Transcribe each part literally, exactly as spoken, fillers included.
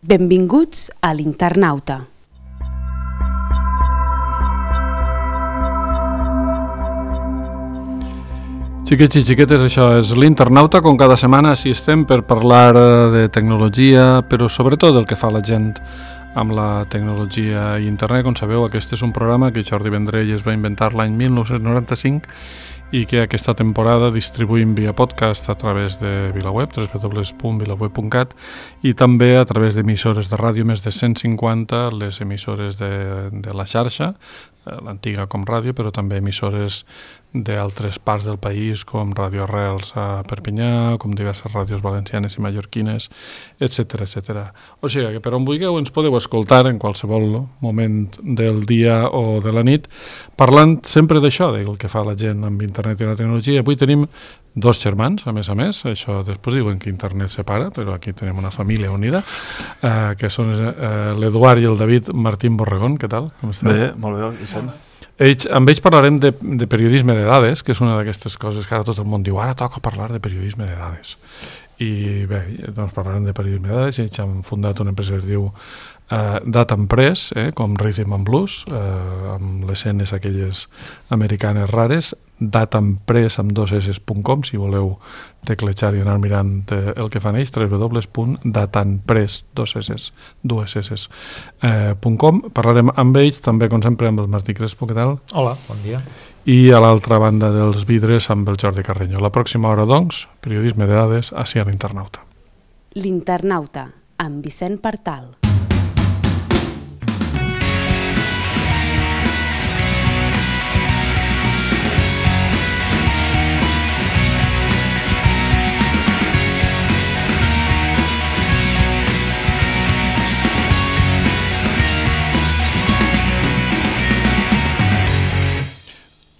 Benvinguts a l'Internauta. Xiquets i xiquetes, això és l'Internauta, com cada setmana així estem per parlar de tecnologia, però sobretot del que fa la gent amb la tecnologia i internet. Com sabeu, aquest és un programa que Jordi Vendrell es va inventar l'any mil nou-cents noranta-cinc i que aquesta temporada distribuïm via podcast a través de VilaWeb, w w w punt vilaweb punt cat, i també a través d'emissores de ràdio, més de cent cinquanta, les emissores de, de la xarxa, l'antiga Com Ràdio, però també emissores d'altres parts del país, com Ràdio Arrels a Perpinyà, com diverses ràdios valencianes i mallorquines, etcètera, etcètera. O sigui que per on vulgueu ens podeu escoltar en qualsevol moment del dia o de la nit, parlant sempre d'això, del que fa la gent amb internet i la tecnologia. Avui tenim dos germans, a més a més, això després diuen que internet separa, però aquí tenim una família unida, eh, que són eh, l'Eduard i el David Martín Borregón. Què tal? Com esteu? Bé, molt bé, Vicent. Ells, amb ells parlarem de, de periodisme de dades, que és una d'aquestes coses que ara tot el món diu, ara toca parlar de periodisme de dades. I bé, doncs parlarem de periodisme de dades. Ells han fundat una empresa que es diu Uh, Data Press, eh, com Rhythm and Blues, uh, amb les escenes aquelles americanes rares. Datapress amb dos s punt com, si voleu teclejar i anar mirant eh, el que fan ells, w w w punt datanpress punt com. Parlarem amb ells, també com sempre amb el Martí Crespo. Què tal? Hola, bon dia. I a l'altra banda dels vidres amb el Jordi Carreño. La pròxima hora, doncs, periodisme de dades ací a l'Internauta. L'Internauta, amb Vicent Partal.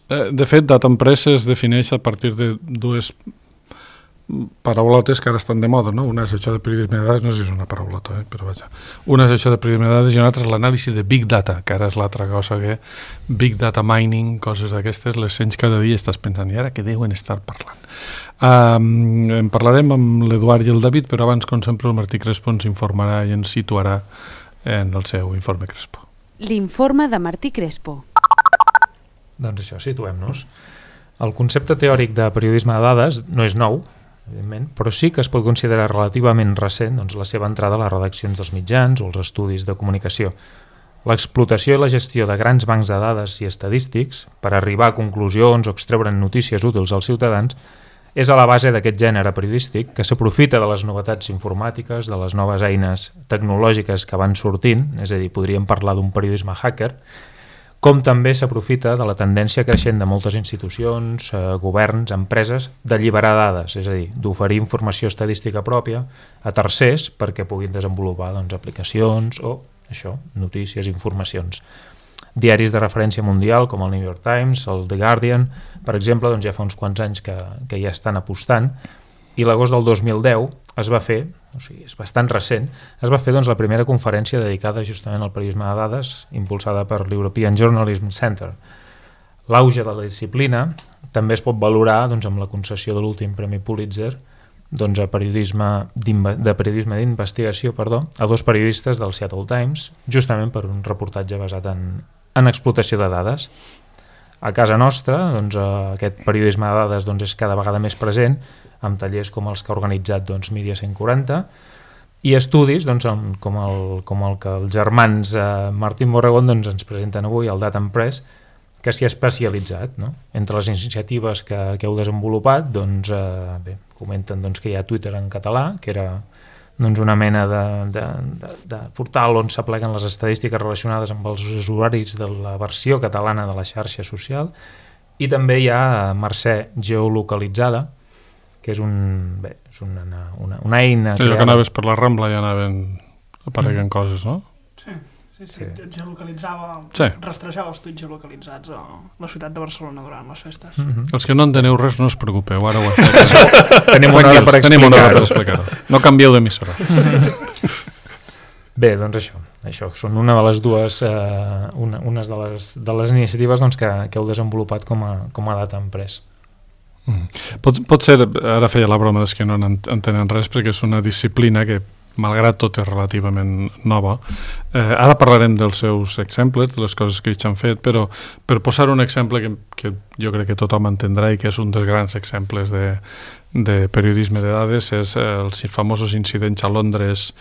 De fet, Data Press es defineix a partir de dues paraulotes que ara estan de moda, no? Una és això de periodisme de dades, no sé si és una paraulota, eh? Però vaja. Una és això de periodisme de dades i una altra és l'anàlisi de Big Data, que ara és l'altra cosa que Big Data Mining, coses d'aquestes, les sents cada dia, estàs pensant, i ara què deuen estar parlant? Um, en parlarem amb l'Eduard i el David, però abans, com sempre, el Martí Crespo ens informarà i ens situarà en el seu informe Crespo. L'informe de Martí Crespo. Doncs això, situem-nos. El concepte teòric de periodisme de dades no és nou, evidentment, però sí que es pot considerar relativament recent doncs, la seva entrada a les redaccions dels mitjans o els estudis de comunicació. L'explotació i la gestió de grans bancs de dades i estadístics per arribar a conclusions o extreure'n notícies útils als ciutadans és a la base d'aquest gènere periodístic que s'aprofita de les novetats informàtiques, de les noves eines tecnològiques que van sortint, és a dir, podríem parlar d'un periodisme hacker, com també s'aprofita de la tendència creixent de moltes institucions, eh, governs, empreses, d'alliberar dades, és a dir, d'oferir informació estadística pròpia a tercers perquè puguin desenvolupar doncs, aplicacions o això, notícies, informacions. Diaris de referència mundial com el New York Times, el The Guardian, per exemple, doncs ja fa uns quants anys que, que ja estan apostant, i l'agost del dos mil deu es va fer, o sigui, és bastant recent, es va fer doncs, la primera conferència dedicada justament al periodisme de dades, impulsada per l'European Journalism Center. L'auge de la disciplina també es pot valorar doncs, amb la concessió de l'últim Premi Pulitzer doncs, a periodisme de periodisme d'investigació perdó, a dos periodistes del Seattle Times, justament per un reportatge basat en, en explotació de dades. A casa nostra, doncs, aquest periodisme de dades doncs, és cada vegada més present, amb tallers com els que ha organitzat doncs, Mídia cent quaranta, i estudis doncs, com, el, com el que els germans eh, Martín Borregón doncs, ens presenten avui, el Data Press, que s'hi ha especialitzat. No? Entre les iniciatives que, que heu desenvolupat, doncs, eh, bé, comenten doncs, que hi ha Twitter en català, que era doncs, una mena de, de, de, de portal on s'apleguen les estadístiques relacionades amb els usuaris de la versió catalana de la xarxa social, i també hi ha Mercè Geolocalitzada, que és, un, bé, és una, una, una eina... Que allò que anaves per la Rambla ja anaven apareguen mm. coses, no? Sí, sí, sí. sí. Geolocalitzava, sí. rastrejava els tuits geolocalitzats a la ciutat de Barcelona durant les festes. Mm-hmm. Els que no enteneu res no us preocupeu, ara ho he fet. Tenim una hora per explicar-ho. explicar No canvieu d'emissora. Bé, doncs això. Això són una de les dues, eh, una, unes de les, de les iniciatives doncs, que, que heu desenvolupat com a, com a Data Press. Mm. Pot, pot ser, ara feia la broma dels que no entenen res, perquè és una disciplina que malgrat tot és relativament nova. Eh, ara parlarem dels seus exemples, de les coses que ells han fet, però per posar un exemple que, que jo crec que tothom entendrà i que és un dels grans exemples de, de periodisme de dades, és els famosos incidents a Londres,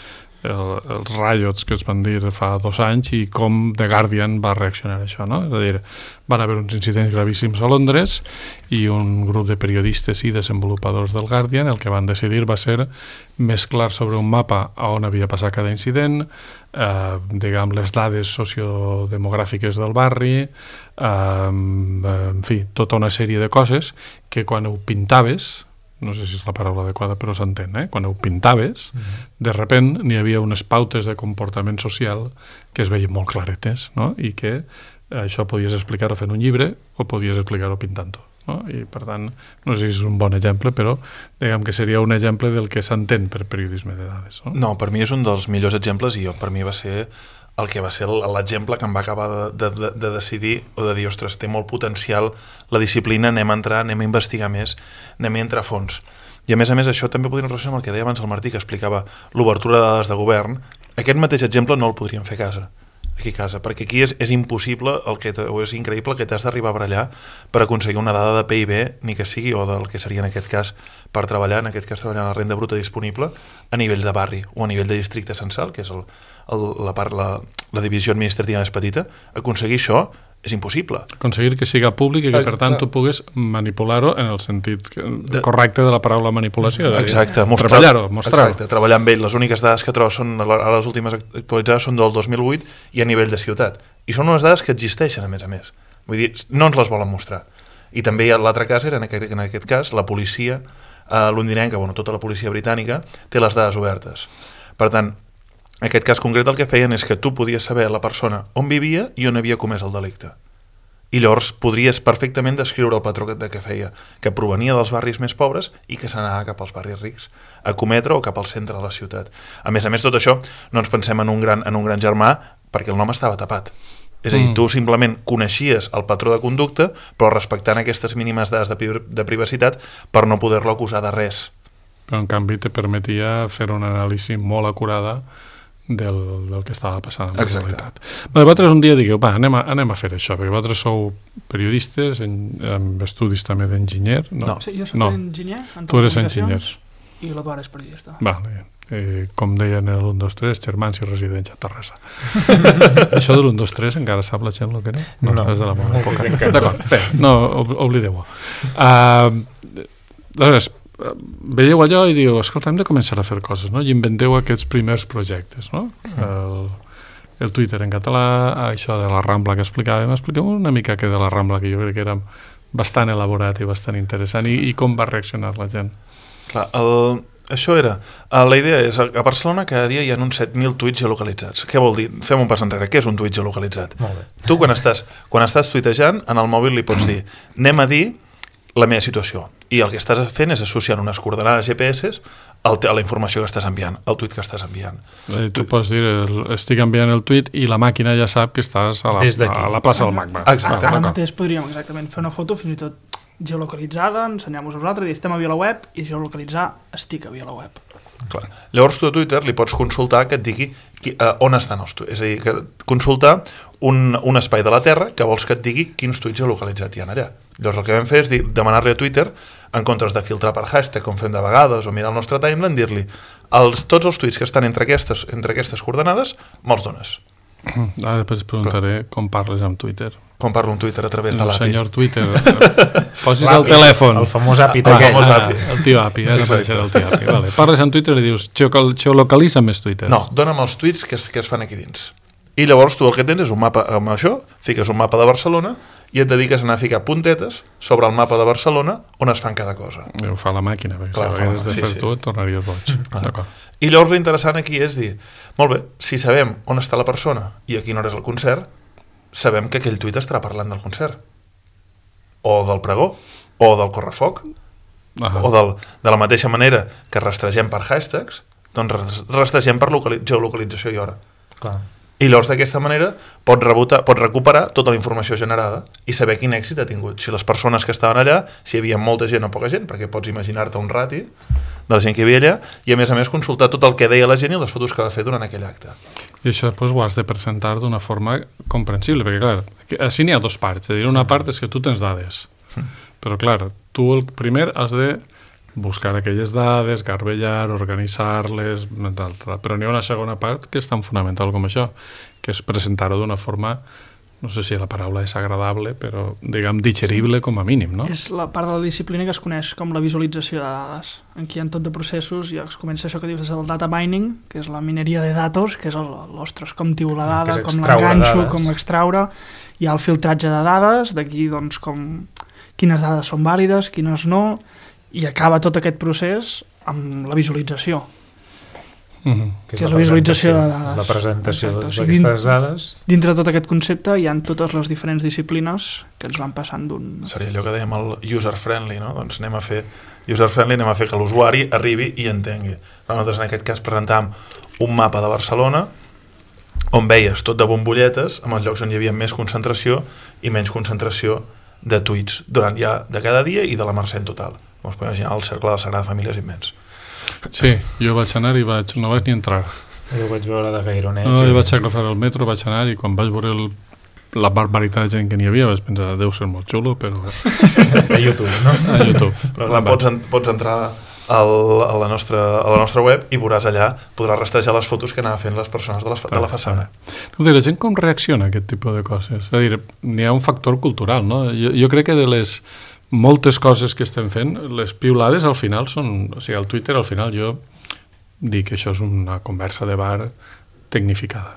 el, els riots que es van dir fa dos anys i com The Guardian va reaccionar a això, no? És a dir, van haver uns incidents gravíssims a Londres i un grup de periodistes i desenvolupadors del Guardian el que van decidir va ser mesclar sobre un mapa a on havia passat cada incident, eh, diguem, les dades sociodemogràfiques del barri, eh, en fi, tota una sèrie de coses que quan ho pintaves, no sé si és la paraula adequada, però s'entén, eh? Quan ho pintaves, mm-hmm. de repent n'hi havia unes pautes de comportament social que es veien molt claretes, no? I que això podies explicar-ho fent un llibre o podies explicar-ho pintant-ho, no? I per tant, no sé si és un bon exemple, però diguem que seria un exemple del que s'entén per periodisme de dades, no? No, per mi és un dels millors exemples i jo, per mi va ser el que va ser l'exemple que em va acabar de, de, de decidir o de dir, ostres, té molt potencial la disciplina, anem a entrar, anem a investigar més, anem a entrar a fons. I a més a més això també podríem relacionar amb el que deia abans el Martí, que explicava l'obertura de dades de govern. Aquest mateix exemple no el podríem fer a casa, aquí a casa, perquè aquí és, és impossible el que o és increïble el que t'has d'arribar a barallar per aconseguir una dada de P I B, ni que sigui, o del que seria en aquest cas per treballar, en aquest cas treballar la renda bruta disponible a nivell de barri o a nivell de districte censal, que és el, el, la, part, la, la divisió administrativa més petita. Aconseguir això és impossible. Aconseguir que siga públic i que, per tant, tu puguis manipular-ho en el sentit de... correcte de la paraula manipulació. Exacte. Mostrar... Treballar-ho, mostrar-ho. Exacte, treballar amb ell. Les úniques dades que trobo són, a les últimes actualitzades són del dos mil vuit i a nivell de ciutat. I són unes dades que existeixen, a més a més. Vull dir, no ens les volen mostrar. I també l'altre cas era, en aquest, en aquest cas, la policia eh, londinenca, bueno, tota la policia britànica, té les dades obertes. Per tant, en aquest cas concret el que feien és que tu podies saber la persona on vivia i on havia comès el delicte. I llavors podries perfectament descriure el patró de què feia, que provenia dels barris més pobres i que s'anava cap als barris rics, a cometre o cap al centre de la ciutat. A més a més, tot això no ens pensem en un gran, en un gran germà perquè el nom estava tapat. És a dir, tu simplement coneixies el patró de conducta, però respectant aquestes mínimes dades de, de privacitat per no poder-lo acusar de res. Però en canvi te permetia fer una anàlisi molt acurada del, del que estava passant en la realitat. Bé, vosaltres un dia digueu, va, anem a, anem a fer això, perquè vosaltres sou periodistes en, amb estudis també d'enginyer. No. no. Sí, jo soc no. enginyer. Tu eres enginyer. I l'Eduard és periodista. Vale. Eh, com deien el un dos tres, germans i residents a Terrassa. Això de l'un dos tres encara sap la gent el que era? No, no, és de la meva època. D'acord, bé, no, oblideu-ho. Uh, aleshores, veieu allò i diu, escolta, hem de començar a fer coses, no? I inventeu aquests primers projectes, no? El, el Twitter en català, això de la Rambla que explicàvem, expliquem una mica que de la Rambla, que jo crec que era bastant elaborat i bastant interessant, i, i com va reaccionar la gent. Clar, el, això era, la idea és, a Barcelona cada dia hi ha uns set mil tuits geolocalitzats. Què vol dir? Fem un pas enrere, què és un tuit geolocalitzat? Tu quan estàs, quan estàs tuitejant, en el mòbil li pots dir, anem a dir la meva situació, i el que estàs fent és associant unes coordenades G P S a la informació que estàs enviant, al tuit que estàs enviant. Eh, tu pots dir, estic enviant el tuit i la màquina ja sap que estàs a la, a la plaça del Magma. Exacte. Ara mateix podríem exactament fer una foto fins i tot geolocalitzada, ensenyar-vos a vosaltres, i estem a VilaWeb, i geolocalitzar estic a VilaWeb. Clar. Llavors tu a Twitter li pots consultar que et digui qui, uh, on estan els tuits, és a dir, que consultar un, un espai de la Terra que vols que et digui quins tuits geolocalitzats hi ha allà. Llavors el que vam fer és dir, demanar-li a Twitter, en comptes de filtrar per hashtag com fem de vegades o mirar el nostre timeline, dir-li els, tots els tuits que estan entre aquestes, entre aquestes coordenades me'ls dones. Ara després preguntaré com parles amb Twitter. Com parlo amb Twitter a través de el l'A P I. Senyor Twitter, posis el telèfon. El famós A P I ah, d'aquell. Ah, el tio A P I, ara apareixerà el tio A P I. Vale. Parles amb Twitter i dius, geolocalitza més Twitter. No, dona'm els tuits que es, que es fan aquí dins. I llavors tu el que tens és un mapa amb això, fiques un mapa de Barcelona i et dediques a anar a ficar puntetes sobre el mapa de Barcelona on es fan cada cosa. Ho fa la màquina, perquè Clar, si hagués de sí, fer sí. tu et tornaries boig. D'acord. I llavors l'interessant aquí és dir, molt bé, si sabem on està la persona i a quina hora és el concert, sabem que aquell tuit estarà parlant del concert, o del pregó, o del correfoc, Aha. o del, de la mateixa manera que rastregem per hashtags, doncs rastregem per geolocalització i hora. Clar. I llavors d'aquesta manera pots, rebotar, pots recuperar tota la informació generada i saber quin èxit ha tingut. Si les persones que estaven allà, si hi havia molta gent o poca gent, perquè pots imaginar-te un rati de la gent que hi havia allà, i a més a més consultar tot el que deia la gent i les fotos que va fer durant aquell acte. I això doncs, ho has de presentar d'una forma comprensible, perquè clar, així n'hi ha dos parts, és a dir, una part és que tu tens dades, però clar, tu el primer has de buscar aquelles dades, garbellar, organitzar-les, però n'hi ha una segona part que és tan fonamental com això, que és presentar-ho d'una forma, no sé si la paraula és agradable, però, diguem, digerible com a mínim, no? És la part de la disciplina que es coneix com la visualització de dades. Aquí hi ha tot de processos i es comença això que dius, és el data mining, que és la mineria de datos, que és el, l'ostres, com tio la dada, com l'enganxo, com l'extraure. Hi ha el filtratge de dades, d'aquí, doncs, com quines dades són vàlides, quines no, i acaba tot aquest procés amb la visualització. Mm-hmm. Que és, que és la visualització de dades. La presentació d'aquestes o sigui, dades. Dintre de tot aquest concepte hi ha totes les diferents disciplines que ens van passant d'un... Seria allò que dèiem el user-friendly, no? Doncs anem a fer user-friendly, anem a fer que l'usuari arribi i entengui. Nosaltres en aquest cas presentàvem un mapa de Barcelona on veies tot de bombolletes amb els llocs on hi havia més concentració i menys concentració de tuits durant ja de cada dia i de la Mercè en total. Com es pot imaginar, el cercle de la Sagrada Família és immens. Sí, jo vaig anar i vaig, no vaig ni entrar. Jo vaig veure de Gaironets. No, jo vaig agafar el metro, vaig anar i quan vaig veure el, la barbaritat de gent que n'hi havia vaig pensar, deu ser molt xulo, però... A YouTube, no? A YouTube. No, clar, pots, en, pots entrar al, a, la nostra, a la nostra web i veuràs allà, podràs rastrejar les fotos que anaven fent les persones de, les, de la façana. La gent com reacciona a aquest tipus de coses? És a dir, n'hi ha un factor cultural, no? Jo, jo crec que de les moltes coses que estem fent, les piulades al final són... O sigui, al Twitter al final jo dic que això és una conversa de bar tecnificada,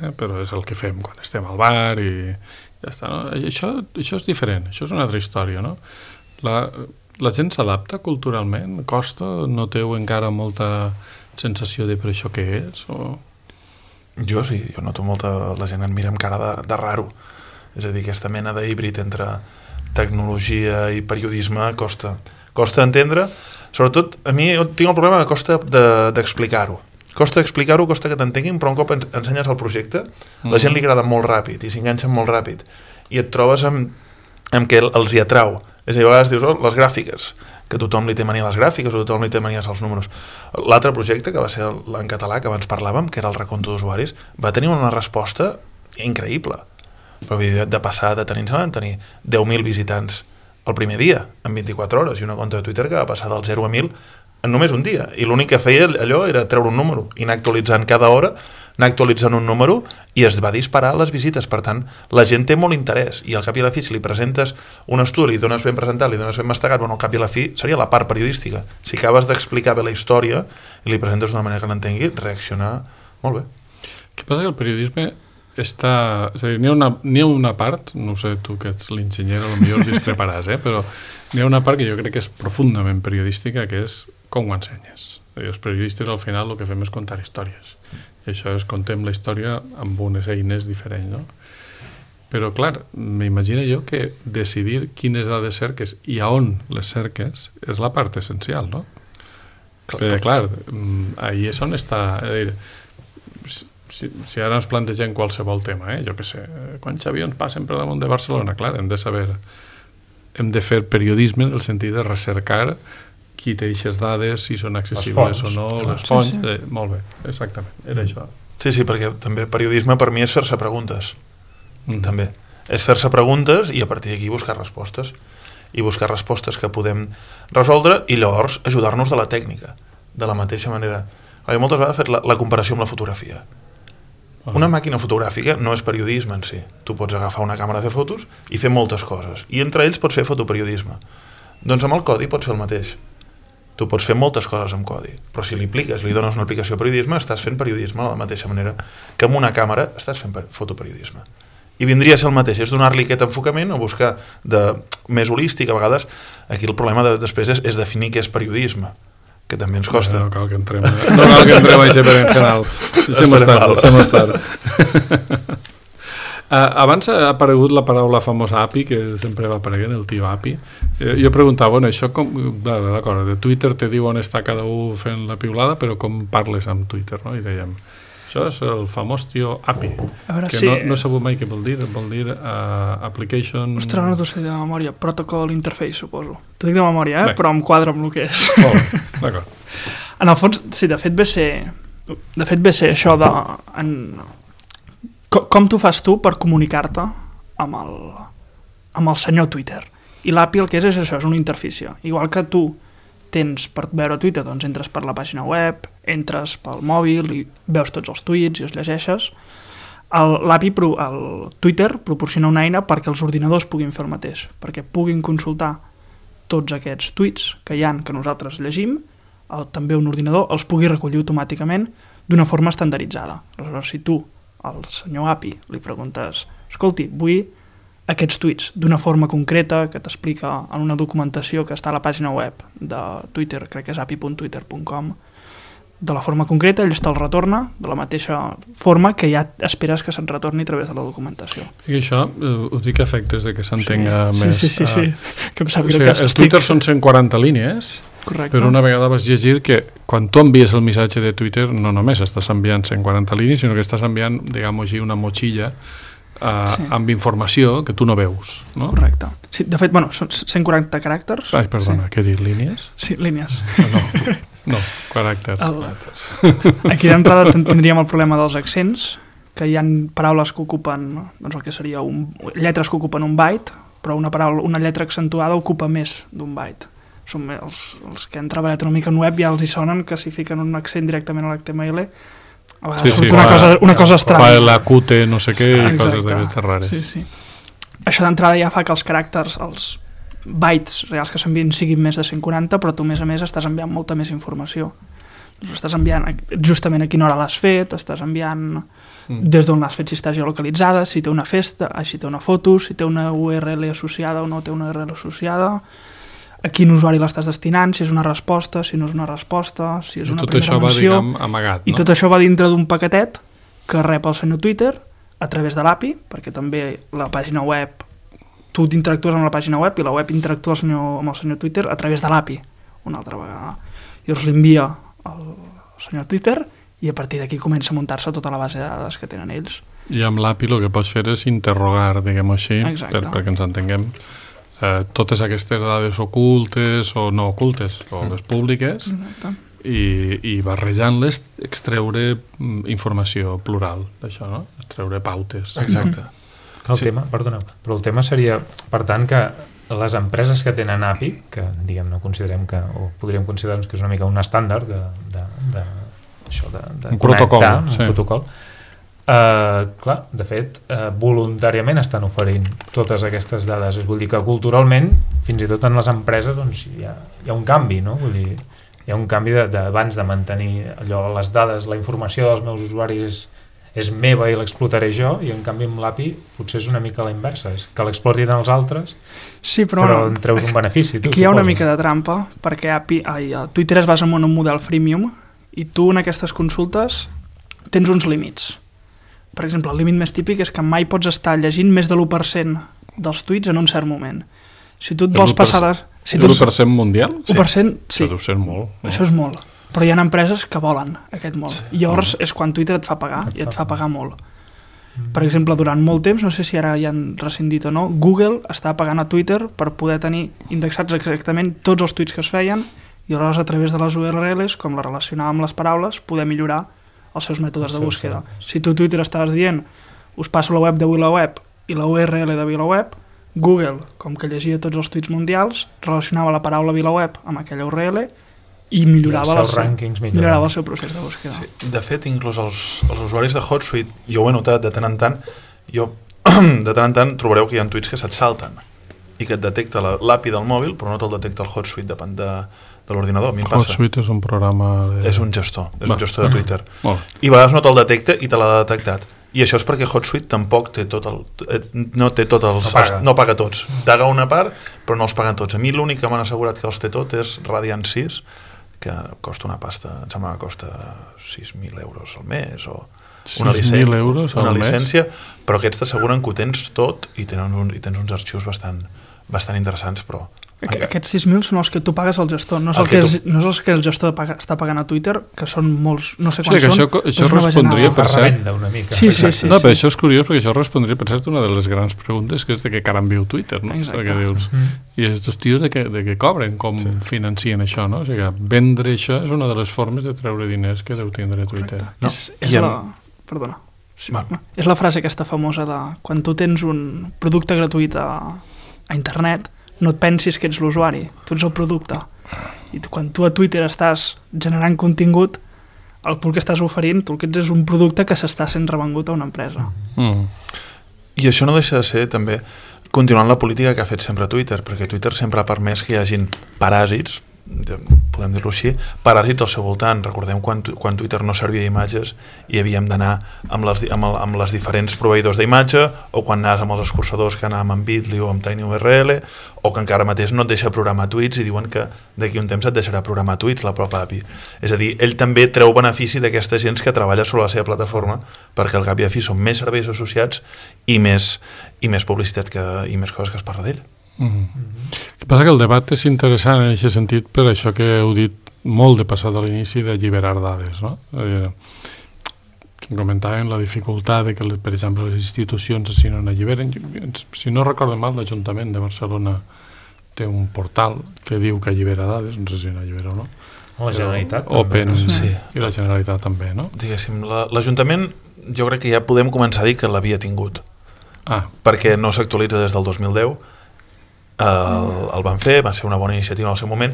eh? Però és el que fem quan estem al bar i ja està, no? Això, això és diferent, això és una altra història, no? La, la gent s'adapta culturalment? Costa? Noteu encara molta sensació de per això què és? O... Jo sí, jo noto molta... La gent em mira amb cara de, de raro. És a dir, aquesta mena d'híbrid entre tecnologia i periodisme costa. Costa entendre, sobretot a mi tinc el problema que costa d'explicar-ho. De, costa explicar-ho, costa que t'entenguin, però un cop ensenyes el projecte, mm. la gent li agrada molt ràpid i s'enganxa molt ràpid. I et trobes amb, amb que els hi atrau. És a dir, a vegades dius, oh, les gràfiques, que tothom li té mania a les gràfiques o tothom li té mania als números. L'altre projecte, que va ser en català, que abans parlàvem, que era el recompte d'usuaris, va tenir una resposta increïble. Però de passar de tenir, van tenir deu mil visitants el primer dia, en vint-i-quatre hores, i una compte de Twitter que va passar del zero a mil en només un dia. I l'únic que feia allò era treure un número i anar actualitzant cada hora, anar actualitzant un número i es va disparar les visites. Per tant, la gent té molt interès i al cap i a la fi, si li presentes un estudi, li dones ben presentat, li dones ben mastegat, bueno, al cap i a la fi seria la part periodística. Si acabes d'explicar bé la història i li presentes d'una manera que l'entengui, reaccionar molt bé. Què passa que el periodisme està... És a dir, n'hi ha una, n'hi ha una part, no sé, tu que ets l'enginyer, potser discreparàs, eh? Però n'hi ha una part que jo crec que és profundament periodística, que és com ho ensenyes. És a dir, els periodistes al final el que fem és contar històries. I això és contem la història amb unes eines diferents, no? Però, clar, m'imagino jo que decidir quines dades cerques i a on les cerques és la part essencial, no? Clar, Perquè, clar, ahí és on està... És a dir, Si, si ara ens plantegem qualsevol tema, eh? Jo què sé, quants avions passen per damunt de Barcelona? Clar, hem de saber, hem de fer periodisme en el sentit de recercar qui té aquestes dades, si són accessibles o no, les fonts, sí, sí. Eh, molt bé, exactament, era mm. això. Sí, sí, perquè també periodisme per mi és fer-se preguntes, mm. també. És fer-se preguntes i a partir d'aquí buscar respostes, i buscar respostes que podem resoldre i llavors ajudar-nos de la tècnica, de la mateixa manera. Perquè moltes vegades he fet la, la comparació amb la fotografia. Una màquina fotogràfica no és periodisme en si. Tu pots agafar una càmera a fer fotos i fer moltes coses. I entre ells pots fer fotoperiodisme. Doncs amb el codi pots fer el mateix. Tu pots fer moltes coses amb codi. Però si li apliques, li dones una aplicació de periodisme, estàs fent periodisme de la mateixa manera que amb una càmera estàs fent fotoperiodisme. I vindria a ser el mateix. És donar-li aquest enfocament o buscar de més holístic. A vegades aquí el problema de, després és, és definir què és periodisme, que també ens costa. No, no cal que entrem, no cal que entrem a aquest berenjenal. Deixem estar, deixem estar. Uh, abans ha aparegut la paraula famosa A P I, que sempre va apareguent, el tio A P I. Uh, jo preguntava, bueno, això com... D'acord, de Twitter te diu on està cada un fent la piulada, però com parles amb Twitter, no? I dèiem, Això és el famós tio A P I, veure, que sí. no, no he sabut mai què vol dir, vol dir uh, Application... Ostres, no t'ho sé de memòria, Protocol Interface, suposo. T'ho dic de memòria, eh? Bé. Però em quadra amb el que és. Oh, d'acord. En el fons, sí, de fet ve ser... De fet ve ser això de... En, com, com t'ho fas tu per comunicar-te amb el, amb el senyor Twitter? I l'A P I el que és és això, és una interfície. Igual que tu tens per veure Twitter, doncs entres per la pàgina web, entres pel mòbil i veus tots els tuits i els llegeixes. L'A P I, pro, el Twitter, proporciona una eina perquè els ordinadors puguin fer el mateix, perquè puguin consultar tots aquests tuits que hi ha que nosaltres llegim, el, també un ordinador els pugui recollir automàticament d'una forma estandarditzada. Aleshores, si tu, al senyor A P I, li preguntes escolti, vull aquests tuits d'una forma concreta que t'explica en una documentació que està a la pàgina web de Twitter, crec que és a p i punt twitter punt com, de la forma concreta, ell te'l retorna de la mateixa forma que ja esperes que se't retorni a través de la documentació. I això eh, ho dic a efectes de que s'entenga sí, més... Sí, sí, sí, eh, sí. Que em sap o greu sigui, que els Twitter són cent quaranta línies, correcte. però una vegada vas llegir que quan tu envies el missatge de Twitter no només estàs enviant cent quaranta línies, sinó que estàs enviant, diguem-ho així, una motxilla Uh, sí. amb informació que tu no veus, no? Correcte. Sí, de fet, bueno, són cent quaranta caràcters. Ai, perdona, sí. què he dit, línies? Sí, línies. No, no, caràcters. El... Aquí d'entrada tindríem el problema dels accents, que hi ha paraules que ocupen, doncs el que seria un... lletres que ocupen un byte, però una, paraula, una lletra accentuada ocupa més d'un byte. Són els, els que han treballat una mica en web ja els hi sonen que si fiquen un accent directament a l'H T M L a vegades sí, sí, una, fa, cosa, una cosa estranya. Fa la Q T, no sé què, sí, i coses d'aquestes rares. Sí, sí. Això d'entrada ja fa que els caràcters, els bytes reals que s'envien siguin més de cent quaranta, però tu, a més a més, estàs enviant molta més informació. Doncs estàs enviant justament a quina hora l'has fet, estàs enviant mm. des d'on l'has fet, si està geolocalitzada, si té una festa, si té una foto, si té una U R L associada o no té una U R L associada, a quin usuari l'estàs destinant, si és una resposta, si no és una resposta, si és una tot primera això menció. Va, diguem, amagat, no? I tot això va dintre d'un paquetet que rep el senyor Twitter a través de l'A P I, perquè també la pàgina web, tu interactues amb la pàgina web i la web interactua el senyor, amb el senyor Twitter a través de l'A P I, una altra vegada. Llavors l'envia al senyor Twitter i a partir d'aquí comença a muntar-se tota la base de dades que tenen ells. I amb l'A P I el que pots fer és interrogar, diguem-ho així, per, perquè ens entenguem, eh, totes aquestes dades ocultes o no ocultes, o les públiques, i, i barrejant-les extreure informació plural d'això, no? Extreure pautes. Exacte. El sí. tema, perdoneu, però el tema seria, per tant, que les empreses que tenen A P I, que diguem, no considerem que, o podríem considerar que és una mica un estàndard de, de, de, això, de, de un protocol, un sí. protocol, Uh, clar, de fet, uh, voluntàriament estan oferint totes aquestes dades. Vull dir que culturalment, fins i tot en les empreses, doncs, hi, ha, hi ha un canvi, no? Vull dir, hi ha un canvi d'abans de, de mantenir allò, les dades, la informació dels meus usuaris és, és meva i l'explotaré jo, i en canvi amb l'A P I potser és una mica la inversa, és que l'explotin els altres, sí, però, però no, en treus un benefici. Tu, aquí hi ha una suposo. mica de trampa, perquè A P I, ai, Twitter es basa en un model freemium i tu en aquestes consultes tens uns límits. Per exemple, el límit més típic és que mai pots estar llegint més de l'u per cent dels tuits en un cert moment. Si tu et vols passar... De... Si l'u per cent mundial? u per cent, sí. Això deu ser molt. No? Això és molt. Però hi ha empreses que volen aquest molt. Sí. I llavors és quan Twitter et fa pagar, et i et fa pagar molt. Mm. Per exemple, durant molt temps, no sé si ara ja han rescindit o no, Google està pagant a Twitter per poder tenir indexats exactament tots els tuits que es feien i aleshores a través de les U R Ls, com la relacionava amb les paraules, poder millorar els seus mètodes de búsqueda. Si tu Twitter estaves dient us passo la web de VilaWeb i la U R L de VilaWeb, Google, com que llegia tots els tuits mundials, relacionava la paraula VilaWeb amb aquella U R L i millorava, els el, seu, millorava el seu procés de búsqueda. Sí. De fet, inclús els, els usuaris de HotSuite, jo ho he notat de tant en tant, jo de tant en tant trobareu que hi ha tuits que se't salten i que et detecta l'A P I del mòbil, però no te'l detecta el HotSuite, depèn de, de l'ordinador. A mi em passa. HotSuite és un programa... De... És un gestor, és Va. un gestor de Twitter. Uh-huh. I a vegades no te'l detecta i te l'ha detectat. I això és perquè HotSuite tampoc té tot el... no té tots els... No paga. No paga tots. Paga una part, però no els paguen tots. A mi l'únic que m'han assegurat que els té tot és Radiant sis, que costa una pasta, em sembla que costa sis mil euros al mes, o una, licència, euros al una mes? llicència, però aquests t'asseguren que ho tens tot i, tenen un, i tens uns arxius bastant, bastant interessants, però Aquests sis mil són els que tu pagues al gestor, no és el, el que, que tu... no és els que el gestor paga, està pagant a Twitter, que són molts, no sé quants sí, són. Això, això respondria, per cert... una mica. Sí, sí, sí, no, sí. però això és curiós, perquè això respondria, per cert, una de les grans preguntes, que és de què caram viu Twitter, no? Exacte. Perquè dius, mm. I aquests tios de què, de què cobren, com sí. financien això, no? O sigui, vendre això és una de les formes de treure diners que deu tindre Twitter. No? És, és la... Perdona. Sí, bueno. És la frase aquesta famosa de quan tu tens un producte gratuït a, a internet, no et pensis que ets l'usuari, tu ets el producte. I quan tu a Twitter estàs generant contingut, el, tu el que estàs oferint, tu el que ets és un producte que s'està sent revengut a una empresa. Mm. I això no deixa de ser, també, continuant la política que ha fet sempre Twitter, perquè Twitter sempre ha permès que hi hagin paràsits, podem dir-ho així, paràsits al seu voltant. Recordem quan, quan Twitter no servia imatges i havíem d'anar amb les, amb, el, amb les diferents proveïdors d'imatge, o quan anaves amb els escurçadors que anàvem amb Bitly o amb TinyURL, o que encara mateix no et deixa programar tuits i diuen que d'aquí un temps et deixarà programar tuits la pròpia A P I. És a dir, ell també treu benefici d'aquesta gent que treballa sobre la seva plataforma, perquè al cap i a fi són més serveis associats i més, i més publicitat que, i més coses que es parla d'ell. Mm-hmm. Mm-hmm. El que passa que el debat és interessant en aquest sentit per això que heu dit molt de passat a l'inici d'alliberar dades, no? Eh, comentàvem la dificultat de que, per exemple, les institucions si no n'alliberen. Si no recordo mal, l'Ajuntament de Barcelona té un portal que diu que allibera dades, no sé si n'allibera o no. La Generalitat Open, també. Sí. I la Generalitat també, no? Diguéssim, l'Ajuntament jo crec que ja podem començar a dir que l'havia tingut. Ah. Perquè no s'actualitza des del dos mil deu. El, el van fer, va ser una bona iniciativa en el seu moment.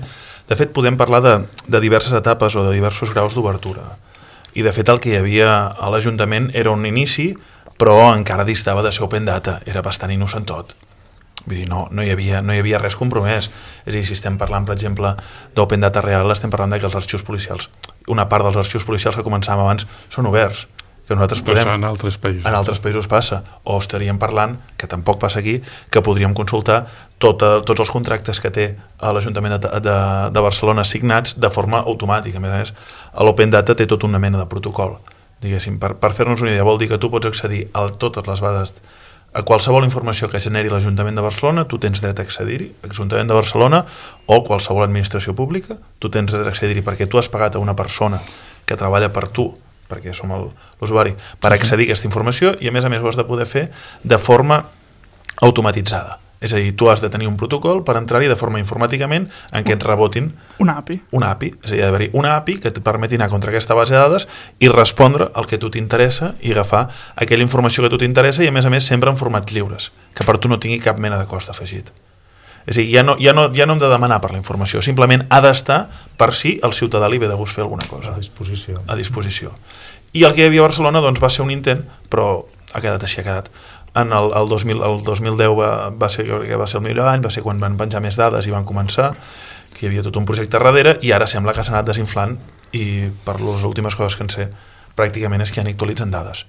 De fet, podem parlar de, de diverses etapes o de diversos graus d'obertura. I de fet el que hi havia a l'Ajuntament era un inici, però encara distava de ser open data, era bastant innocent tot. Vull dir, no, no, hi havia, no hi havia res compromès. És a dir, si estem parlant, per exemple, d'open data real, estem parlant de que els arxius policials, una part dels arxius policials que començàvem abans són oberts, que nosaltres podem... En altres països. En altres països passa. O estaríem parlant, que tampoc passa aquí, que podríem consultar tota, tots els contractes que té l'Ajuntament de, de, de Barcelona signats de forma automàtica. A més a més, l'Open Data té tota una mena de protocol. Diguéssim, per, per fer-nos una idea, vol dir que tu pots accedir a totes les bases, a qualsevol informació que generi l'Ajuntament de Barcelona, tu tens dret a accedir-hi, l'Ajuntament de Barcelona o qualsevol administració pública, tu tens dret a accedir-hi perquè tu has pagat a una persona que treballa per tu, perquè som l'usuari, per accedir a aquesta informació, i a més a més ho has de poder fer de forma automatitzada. És a dir, tu has de tenir un protocol per entrar-hi de forma informàticament en què et rebotin una A P I. Una A P I. És a dir, ha d'haver-hi una A P I que et permeti anar contra aquesta base de dades i respondre el que a tu t'interessa i agafar aquella informació que a tu t'interessa, i a més a més sempre en formats lliures, que per tu no tingui cap mena de cost afegit. És a dir, ja no, ja, no, ja no hem de demanar per la informació, simplement ha d'estar per si el ciutadà li ve de gust fer alguna cosa. A disposició. A disposició. I el que hi havia a Barcelona doncs, va ser un intent, però ha quedat així, ha quedat. En el, el, dos mil, el dos mil deu va, va, ser, va ser el millor any, va ser quan van penjar més dades i van començar, que hi havia tot un projecte darrere, i ara sembla que s'ha anat desinflant, i per les últimes coses que en sé, pràcticament és que ja n'actualitzen dades.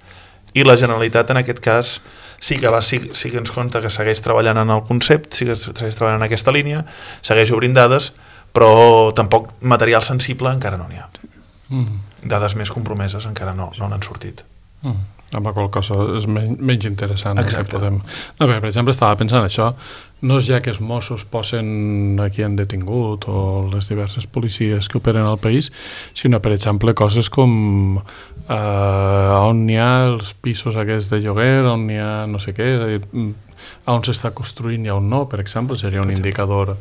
I la Generalitat, en aquest cas, sí que, va, sí, sí que ens compta que segueix treballant en el concepte, sí que segueix treballant en aquesta línia, segueix obrint dades, però tampoc material sensible encara no n'hi ha. Mm. Dades més compromeses encara no, no n'han sortit. Mm. Amb la qual cosa és menys, menys interessant. Exacte. Podem... No, bé, per exemple, estava pensant això, no és ja que els Mossos posen a qui han detingut o les diverses policies que operen al país, sinó, per exemple, coses com eh, on n'hi ha els pisos aquests de lloguer, on n'hi ha no sé què, és a dir, on s'està construint i on no, per exemple, seria un indicador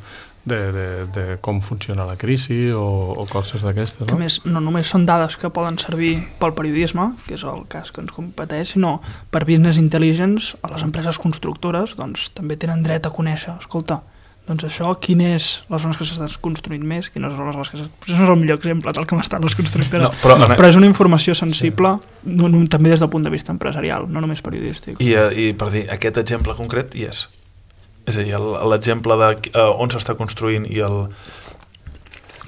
de, de, de com funciona la crisi o, o coses d'aquestes, no? Que més, no només són dades que poden servir pel periodisme, que és el cas que ens competeix, sinó per business intelligence, a les empreses constructores doncs, també tenen dret a conèixer, escolta, doncs això, quines les zones que s'estan construint més, quines són les que s'estan... Això no és el millor exemple del que m'estan les constructores, no, però, no, però és una informació sensible, sí. no, no, també des del punt de vista empresarial, no només periodístic. I, i per dir, aquest exemple concret hi és. És a dir, l'exemple de uh, on s'està construint i, el,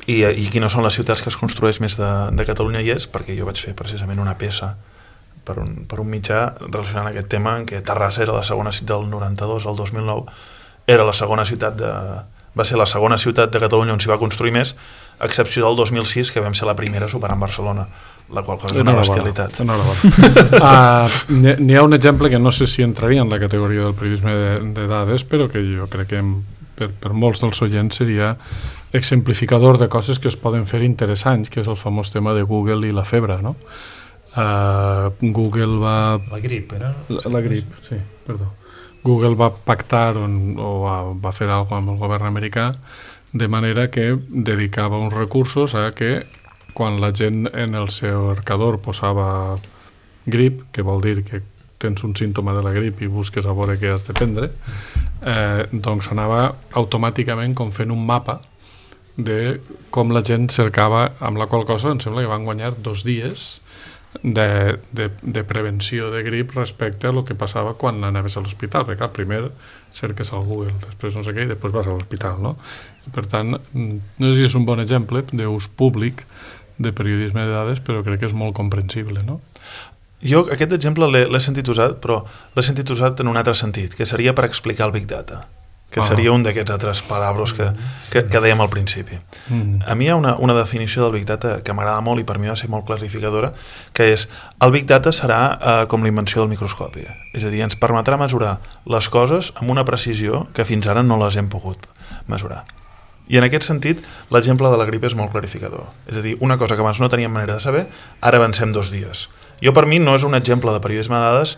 i, i quines són les ciutats que es construeix més de, de Catalunya hi és, perquè jo vaig fer precisament una peça per un, per un mitjà relacionant aquest tema, en què Terrassa era la segona ciutat del noranta-dos al dos mil nou, era la segona ciutat de... va ser la segona ciutat de Catalunya on s'hi va construir més, a excepció del dos mil sis, que vam ser la primera superant Barcelona, la qual cosa és una bestialitat. uh, N'hi ha un exemple que no sé si entraria en la categoria del periodisme de, de dades, però que jo crec que per, per molts dels oients seria exemplificador de coses que es poden fer interessants, que és el famós tema de Google i la febre, no? Uh, Google va... La grip, era? La, la grip, sí, perdó. Google va pactar o, o va, va fer alguna cosa amb el govern americà de manera que dedicava uns recursos a que quan la gent en el seu cercador posava grip, que vol dir que tens un símptoma de la grip i busques a veure què has de prendre, eh, doncs anava automàticament com fent un mapa de com la gent cercava, amb la qual cosa em sembla que van guanyar dos dies de, de, de prevenció de grip respecte a lo que passava quan anaves a l'hospital, perquè clar, primer cerques al Google, després no sé què i després vas a l'hospital, no? I per tant, no sé si és un bon exemple d'ús públic de periodisme de dades, però crec que és molt comprensible, no? Jo aquest exemple l'he sentit usat, però l'he sentit usat en un altre sentit, que seria per explicar el Big Data, que ah. seria un d'aquests altres paraules que, que, que dèiem al principi. Mm. A mi hi ha una, una definició del Big Data que m'agrada molt i per mi va ser molt clarificadora, que és, el Big Data serà eh, com la invenció del microscopi, és a dir, ens permetrà mesurar les coses amb una precisió que fins ara no les hem pogut mesurar. I en aquest sentit, l'exemple de la grip és molt clarificador. És a dir, una cosa que abans no teníem manera de saber, ara avancem dos dies. Jo, per mi, no és un exemple de periodisme de dades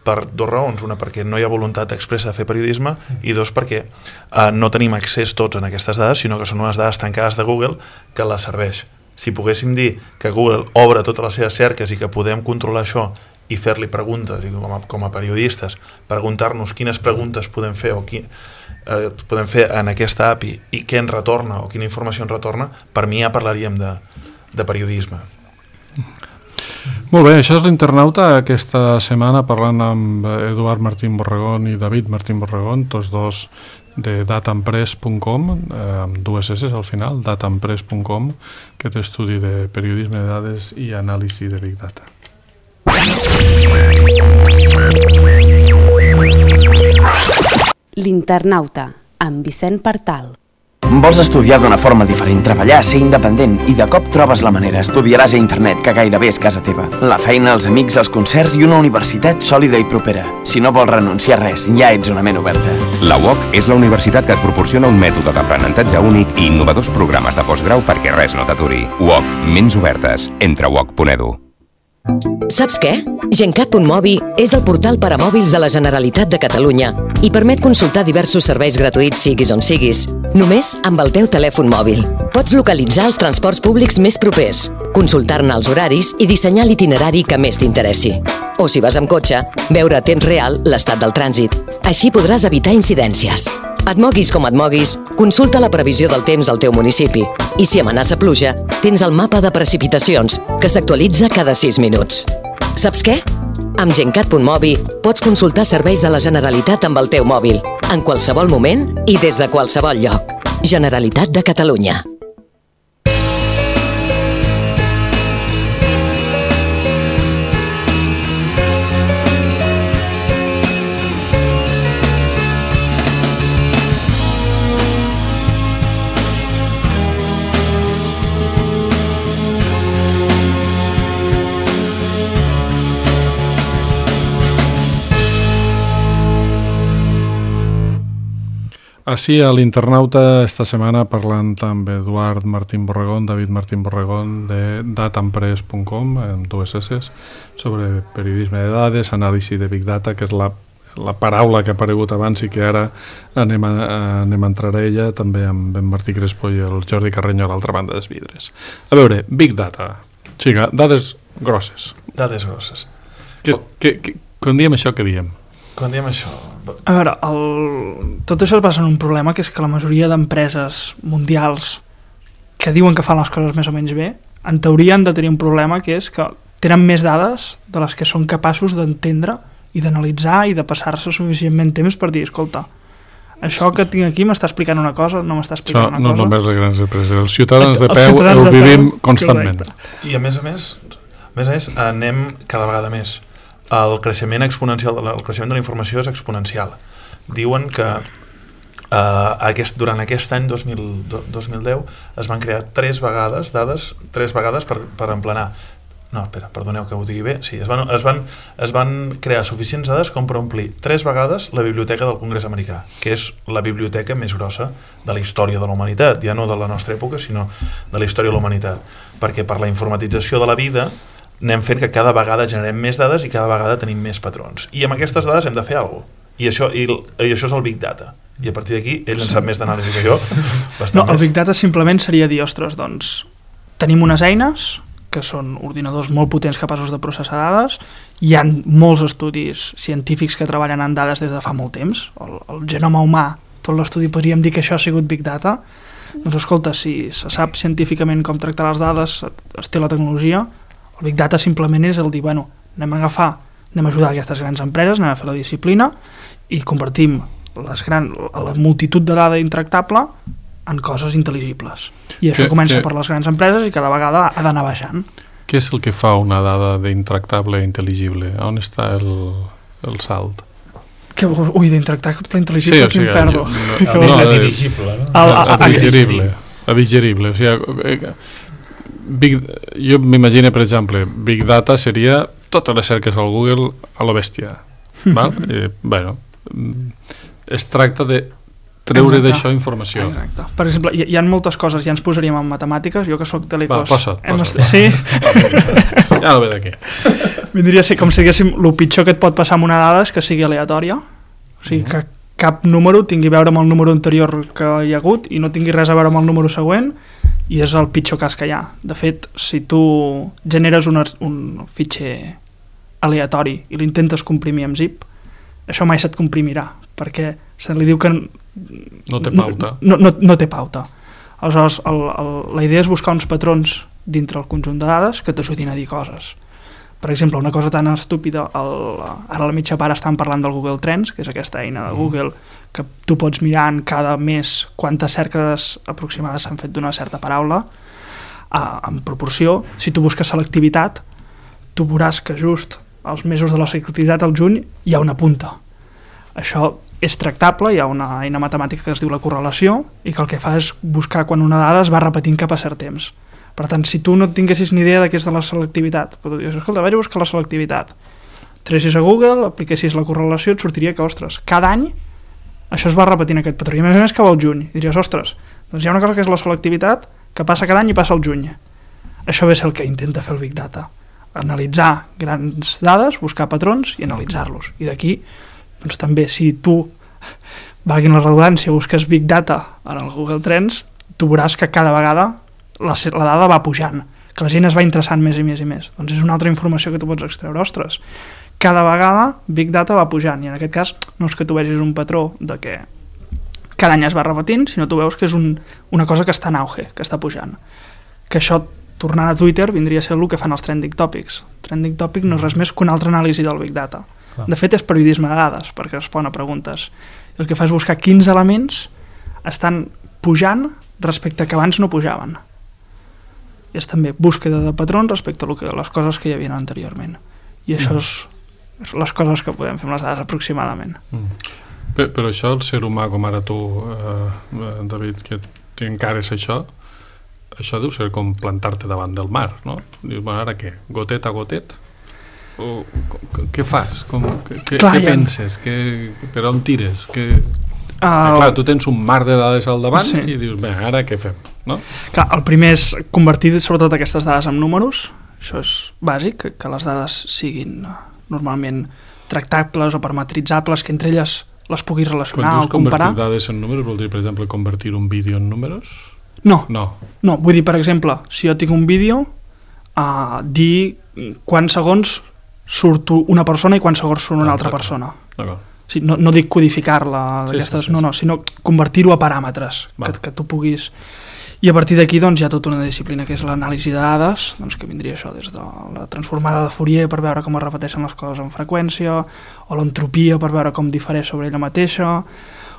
per dues raons. Una, perquè no hi ha voluntat expressa de fer periodisme, i dos, perquè eh, no tenim accés tots en aquestes dades, sinó que són unes dades tancades de Google que les serveix. Si poguéssim dir que Google obre totes les seves cerques i que podem controlar això i fer-li preguntes, i com a, com a periodistes, preguntar-nos quines preguntes podem fer o qui, eh, podem fer en aquesta A P I i què ens retorna o quina informació ens retorna, per mi ja parlaríem de, de periodisme. Molt bé, això és l'Internauta aquesta setmana, parlant amb Eduard Martín Borregón i David Martín Borregón, tots dos de datampress punt com, eh, amb dues S al final, datampress punt com, que té estudi de periodisme de dades i anàlisi de Big Data. L'Internauta, amb Vicent Partal. Vols estudiar d'una forma diferent, treballar, ser independent i de cop trobes la manera, estudiaràs a internet, que gairebé és casa teva. La feina, els amics, els concerts i una universitat sòlida i propera. Si no vols renunciar a res, ja ets una ment oberta. La U O C és la universitat que et proporciona un mètode d'aprenentatge únic i innovadors programes de postgrau perquè res no t'aturi. U O C, ments obertes. Entra a u o c punt e d u. Saps què? Gencat punt mobi és el portal per a mòbils de la Generalitat de Catalunya i permet consultar diversos serveis gratuïts siguis on siguis, només amb el teu telèfon mòbil. Pots localitzar els transports públics més propers, consultar-ne els horaris i dissenyar l'itinerari que més t'interessi. O si vas amb cotxe, veure a temps real l'estat del trànsit. Així podràs evitar incidències. Et moguis com et moguis, consulta la previsió del temps al teu municipi. I si amenaça pluja, tens el mapa de precipitacions, que s'actualitza cada sis minuts. Saps què? Amb Gencat punt mobi pots consultar serveis de la Generalitat amb el teu mòbil, en qualsevol moment i des de qualsevol lloc. Generalitat de Catalunya. Així a l'Internauta esta setmana parlant amb Eduard Martín Borregón, David Martín Borregón de datampress punt com, amb dues S, sobre periodisme de dades, anàlisi de Big Data, que és la, la paraula que ha aparegut abans i que ara anem a, anem a entrar a ella, també amb en Martí Crespo i el Jordi Carreño a l'altra banda dels vidres. A veure, Big Data, xica, dades grosses. Dades grosses. Que, que, que, quan diem això, què diem? Quan diem això... A veure, el... tot això es basa en un problema, que és que la majoria d'empreses mundials que diuen que fan les coses més o menys bé, en teoria han de tenir un problema, que és que tenen més dades de les que són capaços d'entendre i d'analitzar i de passar-se suficientment temps per dir, escolta, això que tinc aquí m'està explicant una cosa, no m'està explicant això una no cosa. No només les grans empreses, els ciutadans de els peu ciutadans ho de vivim peu, constantment. correcte. I a més a més, a més a més, anem cada vegada més. El creixement exponencial, el creixement de la informació és exponencial. Diuen que eh, aquest, durant aquest any dos mil, dos mil deu es van crear tres vegades dades, tres vegades per, per emplenar no, espera, perdoneu que ho digui bé, sí, es van, es, van, es van crear suficients dades com per omplir tres vegades la biblioteca del Congrés americà, que és la biblioteca més grossa de la història de la humanitat, ja no de la nostra època, sinó de la història de la humanitat, perquè per la informatització de la vida anem fent que cada vegada generem més dades i cada vegada tenim més patrons. I amb aquestes dades hem de fer alguna cosa. I això, i, i això és el Big Data. I a partir d'aquí, ell en sap més d'anàlisi que jo. No, el Big Data simplement seria dir, ostres, doncs, tenim unes eines que són ordinadors molt potents capaços de processar dades, hi ha molts estudis científics que treballen en dades des de fa molt temps, el, el genoma humà, tot l'estudi podríem dir que això ha sigut Big Data, doncs escolta, si se sap científicament com tractar les dades, es té la tecnologia, el Big Data simplement és el dir, bueno, anem a agafar, anem a ajudar aquestes grans empreses, anem a fer la disciplina i convertim les gran, la multitud de dada intractable en coses intel·ligibles. I això que, comença que... per les grans empreses i cada vegada ha d'anar baixant. Què és el que fa una dada d'intractable i intel·ligible? On està el, el salt? Que, ui, d'intractable i intel·ligible, sí, o sigui, qui em perdo? No, no, no, dirigible, no? El, el, el digerible. El digerible. O sigui, Big, jo m'imagino, per exemple, Big Data seria totes les cerques al Google a lo bèstia. Val? I, bueno, es tracta de treure d'això informació. Exacte. Per exemple, hi, hi ha moltes coses, ja ens posaríem en matemàtiques, jo que soc telecos... Va, posa't, posa't. Est... Sí? Ja no ve d'aquí. Vindria a ser com si diguéssim, el pitjor que et pot passar amb una dada és que sigui aleatòria, o sigui, que cap número tingui a veure amb el número anterior que hi ha hagut i no tingui res a veure amb el número següent, i és el pitjor cas que hi ha. De fet, si tu generes un, un fitxer aleatori i l'intentes comprimir amb zip, això mai se't comprimirà, perquè se li diu que no té pauta. No, no, no té pauta. Aleshores, el, el, la idea és buscar uns patrons dintre el conjunt de dades que t'ajudin a dir coses. Per exemple, una cosa tan estúpida, el, ara a la mitja part estan parlant del Google Trends, que és aquesta eina de Google que tu pots mirar en cada mes quantes cerques aproximades s'han fet d'una certa paraula, a, en proporció. Si tu busques selectivitat, tu veuràs que just als mesos de la selectivitat, al juny, hi ha una punta. Això és tractable, hi ha una eina matemàtica que es diu la correlació i que el que fa és buscar quan una dada es va repetint cap a cert temps. Per tant, si tu no tinguessis ni idea de què és de la selectivitat, però tu dius, escolta, vaig a buscar la selectivitat, tressis a Google, apliquessis la correlació, et sortiria que, ostres, cada any això es va repetint aquest patró, i a més a més cau al juny, i diries, ostres, doncs hi ha una cosa que és la selectivitat que passa cada any i passa al juny. Això ve ser el que intenta fer el Big Data, analitzar grans dades, buscar patrons i analitzar-los, i d'aquí doncs també, si tu, valguin la redundància, busques Big Data en el Google Trends, tu veuràs que cada vegada la, la dada va pujant, que la gent es va interessant més i més i més. Doncs és una altra informació que tu pots extreure. Ostres, cada vegada Big Data va pujant, i en aquest cas no és que tu vegis un patró de que cada any es va repetint, sinó tu veus que és un, una cosa que està en auge, que està pujant. Que això, tornant a Twitter, vindria a ser el que fan els trending topics. Trending topic no és res més que una altra anàlisi del Big Data. De fet, és periodisme de dades, perquè respon a preguntes. El que fa és buscar quins elements estan pujant respecte que abans no pujaven. I és també búsqueda de patrons respecte a, lo que, a les coses que hi havia anteriorment. I això és, és les coses que podem fer amb les dades aproximadament. Mm. Però, però això, el ser humà, com ara tu, eh, David, que, que encares això, això deu ser com plantar-te davant del mar, no? Dius, bueno, ara què? Gotet a gotet? O, què fas? Com, què clar, què penses? Què, per on tires? Que... Uh, ah, clar, tu tens un mar de dades al davant sí. I dius, bé, ara què fem? No? Clar, el primer és convertir sobretot aquestes dades en números, això és bàsic, que, que les dades siguin normalment tractables o parametritzables, que entre elles les puguis relacionar o comparar. Quan dius convertir dades en números, vol dir, per exemple, convertir un vídeo en números? No, no, no vull dir, per exemple, si jo tinc un vídeo, uh, dir quants segons surt una persona i quants segons surt una ah, altra persona. D'acord. Sí, no, no dic codificar-la, sí, sí, sí, no, no, sinó convertir-ho a paràmetres que, que tu puguis... I a partir d'aquí doncs, hi ha tota una disciplina que és l'anàlisi de dades, doncs, que vindria això des de la transformada de Fourier per veure com es repeteixen les coses amb freqüència, o l'entropia per veure com difereix sobre ella mateixa,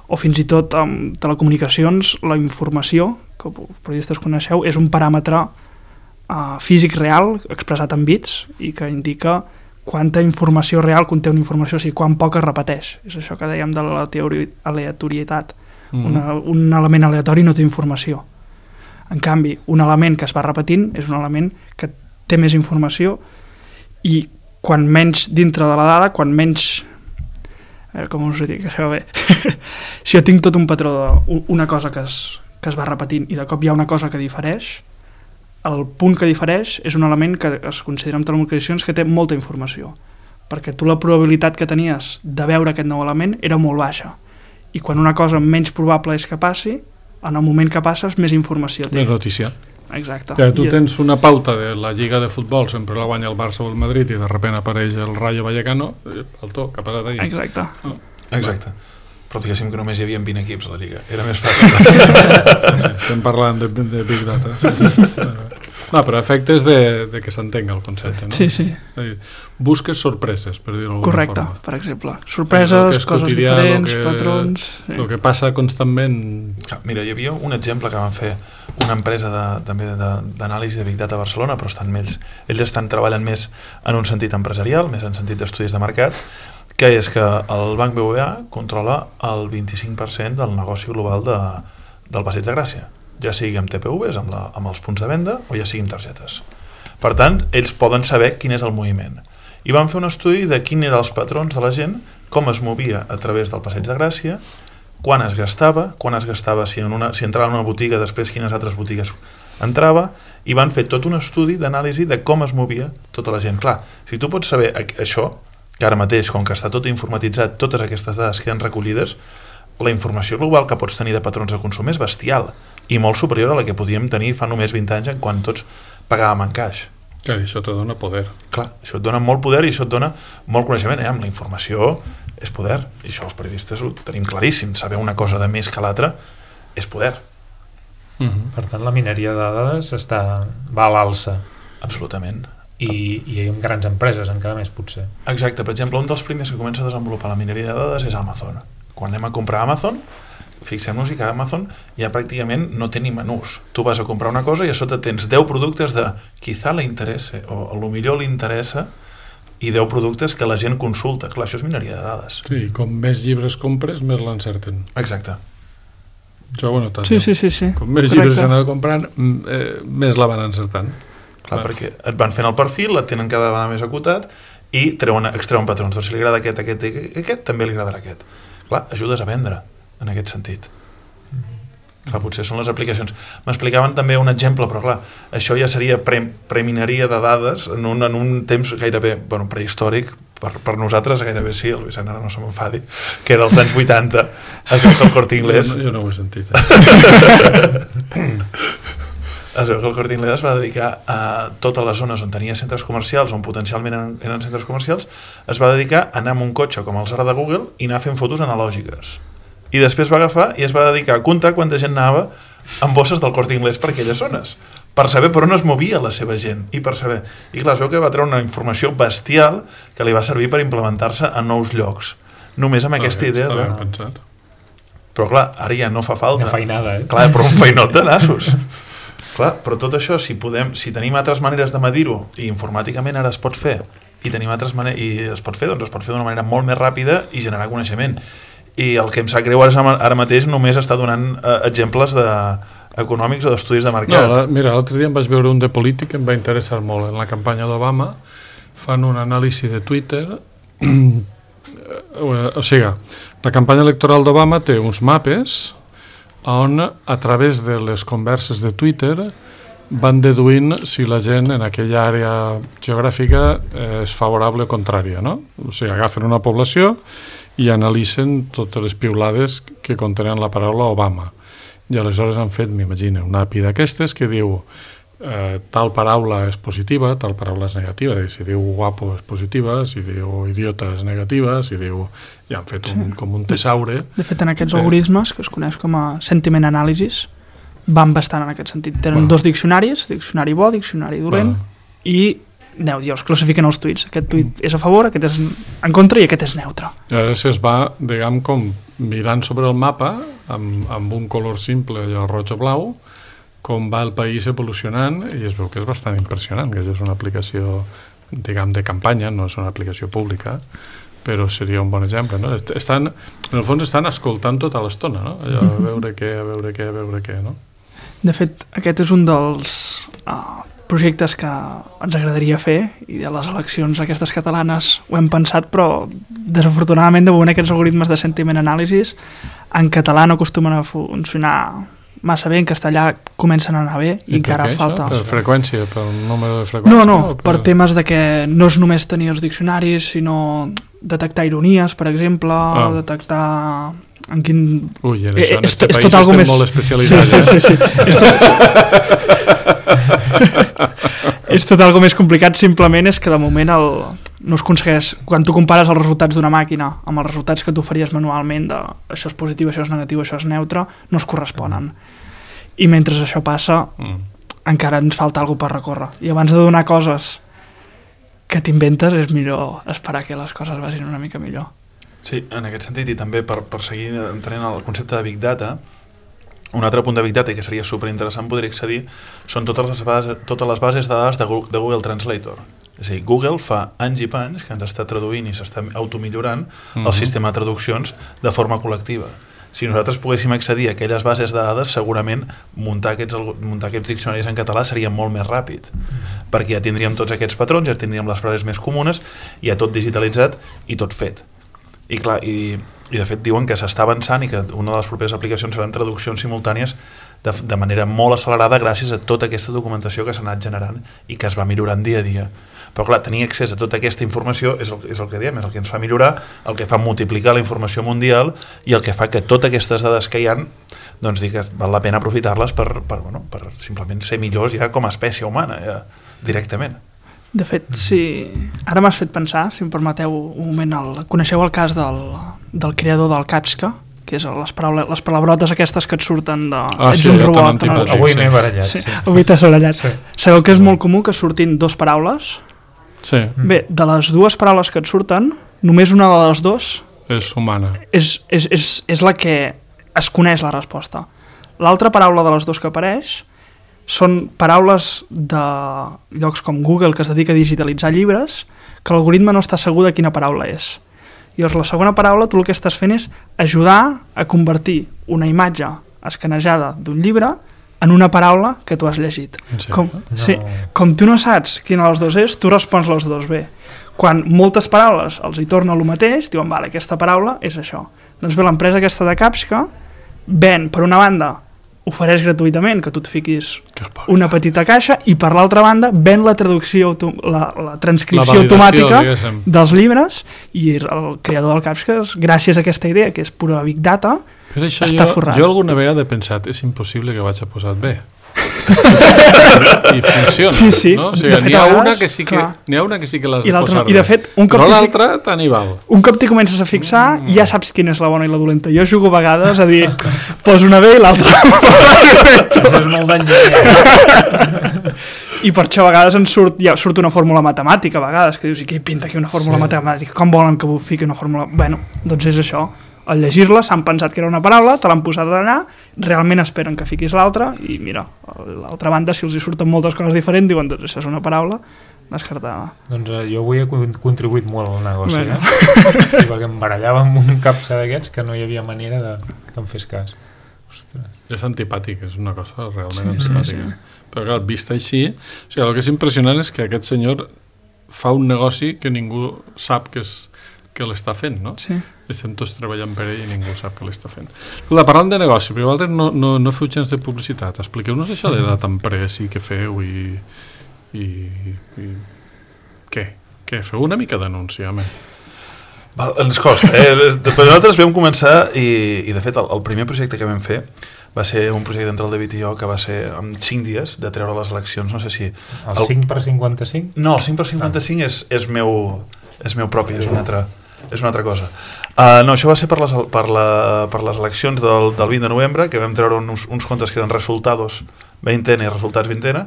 o fins i tot amb telecomunicacions, la informació, que periodistes coneixeu, és un paràmetre uh, físic real expressat en bits i que indica quanta informació real conté una informació, o sigui, quan poc es repeteix. És això que dèiem de l'aleatorietat. Mm. Una, un element aleatori no té informació. En canvi, un element que es va repetint és un element que té més informació i quan menys dintre de la dada, quan menys... Eh, com us ho dic, això bé. Si jo tinc tot un patró d'una cosa que es, que es va repetint i de cop hi ha una cosa que difereix, el punt que difereix és un element que es considera en telecomunicacions que té molta informació, perquè tu la probabilitat que tenies de veure aquest nou element era molt baixa, i quan una cosa menys probable és que passi, en el moment que passes més informació té. Més notícia. Exacte. Ja, tu tens una pauta de la lliga de futbol, sempre la guanya el Barça o el Madrid i de sobte apareix el Rayo Vallecano, el to, que ha passat ahir. Exacte. Oh. Exacte. Però diguéssim que només hi havia vint equips a la lliga, era més fàcil. Estem parlant de, de Big Data. No, però efectes de, de que s'entenga el concepte, no? Sí, sí. Busques sorpreses, per dir-ho d'alguna Correcte, forma. per exemple. Sorpreses, coses quotidià, diferents, que, patrons... El sí. que passa constantment... Mira, hi havia un exemple que van fer una empresa de, també d'anàlisi de Big Data a Barcelona, però estan ells, ells estan treballant més en un sentit empresarial, més en sentit d'estudis de mercat, que és que el Banc B B V A controla el vint-i-cinc per cent del negoci global de, del Passeig de Gràcia, ja sigui amb T P Vs, amb, la, amb els punts de venda, o ja sigui amb targetes. Per tant, ells poden saber quin és el moviment. I van fer un estudi de quin eren els patrons de la gent, com es movia a través del Passeig de Gràcia, quan es gastava, quan es gastava, si, en una, si entrava en una botiga, després quines altres botigues entrava, i van fer tot un estudi d'anàlisi de com es movia tota la gent. Clar, si tu pots saber això, que ara mateix, com que està tot informatitzat, totes aquestes dades queden recollides, la informació global que pots tenir de patrons de consum és bestial i molt superior a la que podíem tenir fa només vint anys en quan tots pagàvem en caix. Clar, això te dona poder. Clar, això et dona molt poder i això et dona molt coneixement. Eh? Amb la informació és poder, i això els periodistes ho tenim claríssim. Saber una cosa de més que l'altra és poder. Mm-hmm. Per tant, la mineria de dades està, va a l'alça. Absolutament. I, i amb grans empreses encara més, potser. Exacte, per exemple, un dels primers que comença a desenvolupar la mineria de dades és Amazon. Quan anem a comprar a Amazon, fixem-nos que Amazon ja pràcticament no té ni menús. Tu vas a comprar una cosa i a sota tens deu productes de quizá li interessa, o a lo millor li interessa, i deu productes que la gent consulta. Clar, això és mineria de dades. Sí, com més llibres compres, més l'encerten. Exacte. Jo ho he notat. Sí, sí, sí, sí. Com més Correcte. Llibres s'anava comprant, eh, més la van encertant. Clar, Clar, perquè et van fent el perfil, et tenen cada vegada més acotat i treuen, extreuen patrons. Doncs si li agrada aquest, aquest i aquest, també li agradarà aquest. Clar, ajudes a vendre en aquest sentit. Mm-hmm. Clar, potser són les aplicacions. M'explicaven també un exemple, però clar, això ja seria pre, premineria de dades en un, en un temps gairebé, bueno, prehistòric, per, per nosaltres gairebé sí, el Vicent ara no se m'enfadi, que era als anys vuitanta, es veu que el Corte Inglés... Jo no, jo no ho he sentit. Eh? Es veu que el Corte Inglés es va dedicar a totes les zones on tenia centres comercials, on potencialment eren, eren centres comercials, es va dedicar a anar amb un cotxe com els ara de Google i anar fent fotos analògiques. I després va agafar i es va dedicar a comptar quanta gent anava amb bosses del Corte Inglés per aquelles zones, per saber per on es movia la seva gent, i per saber. I clar, es veu que va treure una informació bestial que li va servir per implementar-se a nous llocs, només amb està aquesta bé, idea de... pensat. Però clar, ara ja no fa falta. Una feinada, eh? Clar, però un feinot de nassos. Clar, però tot això, si podem, si tenim altres maneres de medir-ho, i informàticament ara es pot fer, i tenim altres maneres, i es pot fer, doncs es pot fer d'una manera molt més ràpida i generar coneixement. I el que em sap greu ara, ara mateix només està donant eh, exemples de, econòmics o d'estudis de mercat. No, la, mira, l'altre dia em vaig veure un de polític que em va interessar molt. En la campanya d'Obama fan un anàlisi de Twitter. O sigui, la campanya electoral d'Obama té uns mapes on a través de les converses de Twitter van deduint si la gent en aquella àrea geogràfica és favorable o contrària, no? O sigui, agafen una població i analitzen totes les piulades que contenen la paraula Obama. I aleshores han fet, m'imagino, una A P I d'aquestes que diu eh, tal paraula és positiva, tal paraula és negativa, si diu guapo és positiva, si diu idiota és negativa, si diu... I han fet un, sí. com un tesaure. De fet, en aquests algoritmes, que es coneix com a sentiment analysis, van bastant en aquest sentit. Tenen bueno. dos diccionaris, diccionari bo, diccionari dolent, bueno. i aneu, els classifiquen els tuits. Aquest tuit és a favor, aquest és en contra i aquest és neutre. I ara es va, diguem, com mirant sobre el mapa, amb, amb un color simple, allò roig o blau, com va el país evolucionant, i es veu que és bastant impressionant, que això és una aplicació, diguem, de campanya, no és una aplicació pública, però seria un bon exemple, no? Estan, en el fons estan escoltant tota l'estona, no? Allò, a veure què, a veure què, a veure què, no? De fet, aquest és un dels uh, projectes que ens agradaria fer i a les eleccions aquestes catalanes ho hem pensat, però desafortunadament de moment aquests algoritmes de sentiment analysis en català no acostumen a funcionar massa bé, en castellà comencen a anar bé i, I encara per què, falta... Per freqüència, per número de freqüència? No, no, per... per temes de que no és només tenir els diccionaris, sinó detectar ironies, per exemple, ah. detectar... En quin... Ui, en això, en és, este és país estem més... molt especialitzats. Sí, sí, sí, sí. és, tot... és tot algo més complicat, simplement és que de moment el... no es aconsegueix, quan tu compares els resultats d'una màquina amb els resultats que tu faries manualment de això és positiu, això és negatiu, això és neutre, no es corresponen. I mentre això passa, mm. encara ens falta alguna per recórrer. I abans de donar coses que t'inventes, és millor esperar que les coses vagin una mica millor. Sí, en aquest sentit, i també per, per seguir entrant al concepte de Big Data, un altre punt de Big Data que seria superinteressant poder accedir són totes les bases, totes les bases de dades de Google, de Google Translator. És a dir, Google fa anys i panys que ens està traduint i s'està automillorant mm-hmm. el sistema de traduccions de forma col·lectiva. Si nosaltres poguéssim accedir a aquelles bases de dades, segurament muntar aquests, muntar aquests diccionaris en català seria molt més ràpid, mm. perquè ja tindríem tots aquests patrons, ja tindríem les frases més comunes, ja tot digitalitzat i tot fet. I clar, i, i de fet diuen que s'està avançant i que una de les properes aplicacions seran traduccions simultànies de, de manera molt accelerada gràcies a tota aquesta documentació que s'ha anat generant i que es va millorant dia a dia. Però clar, tenir accés a tota aquesta informació és el, és el que diem, és el que ens fa millorar, el que fa multiplicar la informació mundial i el que fa que totes aquestes dades que hi ha, doncs dir que val la pena aprofitar-les per, per, bueno, per simplement ser millors ja com a espècie humana, ja, directament. De fet, si... ara m'has fet pensar, si em permeteu un moment, el... coneixeu el cas del, del creador del Captcha, que és les, paraula... les palabrotes aquestes que et surten de... Ah, ets sí, un robot. No? Sí. Avui m'he barallat. Sí. Sí. Avui t'has barallat. Sí. Sabeu que és sí. molt comú que surtin dos paraules? Sí. Bé, de les dues paraules que et surten, només una de les dues... És humana. És, és, és, és la que es coneix la resposta. L'altra paraula de les dues que apareix són paraules de llocs com Google, que es dedica a digitalitzar llibres, que l'algoritme no està segur de quina paraula és. Llavors, la segona paraula, tu el que estàs fent és ajudar a convertir una imatge escanejada d'un llibre en una paraula que tu has llegit. Com, no. sí, com tu no saps quina de les dues és, tu respons les dues bé. Quan moltes paraules els hi torna el mateix, diuen, vale, aquesta paraula és això. Doncs bé, l'empresa aquesta de Captcha ven, per una banda, ofereix gratuïtament que tu et fiquis una petita caixa i per l'altra banda ven la traducció, la, la transcripció la automàtica diguéssim. Dels llibres i el creador del Captcha, gràcies a aquesta idea que és pura Big Data, però això està jo, forrat. Jo alguna vegada he pensat, és impossible que vaig a posar bé. I funciona, sí, sí. No? O sigui, n'hi ha, una que sí que, n'hi ha una que sí que l'has de posar no. I de fet, un cop però l'altra tant hi val. Un cop t'hi comences a fixar, mm. ja saps quina és la bona i la dolenta. Jo jugo a vegades a dir, poso una bé i l'altra. Això és molt d'enginyer. I per això a vegades en surt, ja surt una fórmula matemàtica, a vegades, que dius, i què pinta aquí una fórmula sí. matemàtica? Com volen que fiqui una fórmula? Bueno, doncs és això. Al llegir-la s'han pensat que era una paraula, te l'han posat allà, realment esperen que fiquis l'altra i mira, a l'altra banda si els hi surten moltes coses diferents diuen doncs això és una paraula descartada. Doncs uh, jo avui he contribuït molt al negoci, bueno. eh? I perquè em barallava amb un Captcha d'aquests que no hi havia manera de, que em fes cas. Ostres. És antipàtic, és una cosa realment sí, antipàtica. Sí, sí. Però clar, vist així, o sigui, el que és impressionant és que aquest senyor fa un negoci que ningú sap que és que l'està fent, no? Sí. Estem tots treballant per ell i ningú sap que l'està fent. Escolta, parlant de negoci, però vosaltres no, no, no feu gens de publicitat. Expliqueu-nos això de data empresa i què feu i, i, i... Què? Què? Feu una mica d'anunci, home. Val, ens costa, eh? Però nosaltres vam començar i, i de fet el, el primer projecte que vam fer va ser un projecte entre el David i jo que va ser en cinc dies de treure les eleccions, no sé si... El, el... cinc per cinquanta-cinc? No, el cinc per cinquanta-cinc ah. és, és meu... és meu propi, és una altra, és una altra cosa. Uh, no, això va ser per les, per la, per les eleccions del, del vint de novembre, que vam treure uns, uns comptes que eren resultados veintena i resultats vintena,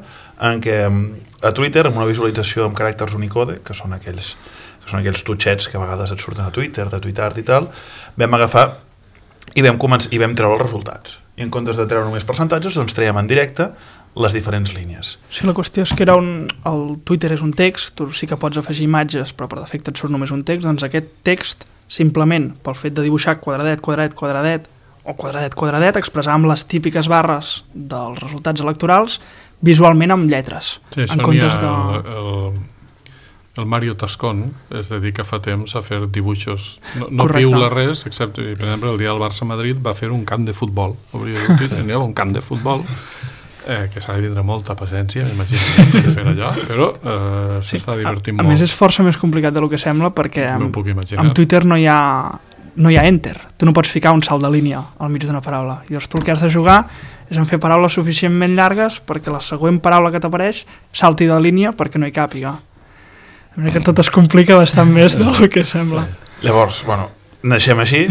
en què a Twitter, amb una visualització amb caràcters Unicode, que són aquells, que són aquells tutxets que a vegades et surten a Twitter, de TweetArt i tal, vam agafar i vam, començar, i vam treure els resultats. I en comptes de treure només percentatges, doncs traiem en directe les diferents línies. Sí, la qüestió és que era un, el Twitter és un text, tu sí que pots afegir imatges, però per defecte et surt només un text, doncs aquest text, simplement pel fet de dibuixar quadradet, quadradet, quadradet, o quadradet, quadradet, expressar amb les típiques barres dels resultats electorals, visualment amb lletres. Sí, això en n'hi ha de... el, el, el Mario Tascón es dedica fa temps a fer dibuixos, no, no piula res, excepte, per exemple, el dia del Barça-Madrid va fer un camp de futbol, tenia un camp de futbol eh, que s'ha de tindre molta paciència, m'imagino de fer allò, però eh, s'està sí, divertint a, molt. A més és força més complicat del que sembla perquè amb, amb Twitter no hi ha no hi ha enter, tu no pots ficar un salt de línia al mig d'una paraula, i llavors tu el que has de jugar és en fer paraules suficientment llargues perquè la següent paraula que t'apareix salti de línia perquè no hi càpiga. Que tot es complica bastant més del que sembla. Llavors, bueno, naixem així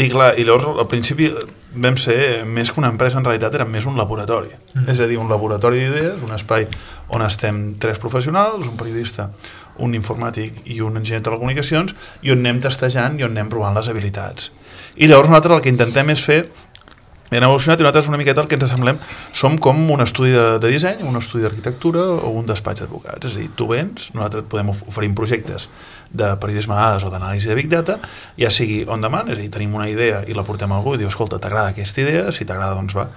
i clar, i llavors al principi vam ser, més que una empresa, en realitat era més un laboratori. Mm. És a dir, un laboratori d'idees, un espai on estem tres professionals, un periodista, un informàtic i un enginyer de telecomunicacions, i on anem testejant i on anem provant les habilitats. I llavors nosaltres el que intentem és fer hem evolucionat i nosaltres una miqueta el que ens assemblem som com un estudi de, de disseny, un estudi d'arquitectura o un despatx d'advocats. És a dir, tu vens, nosaltres podem oferir projectes de periodisme de dades o d'anàlisi de Big Data, ja sigui on demand, és a dir, tenim una idea i la portem a algú i diu, escolta, t'agrada aquesta idea? Si t'agrada, doncs va,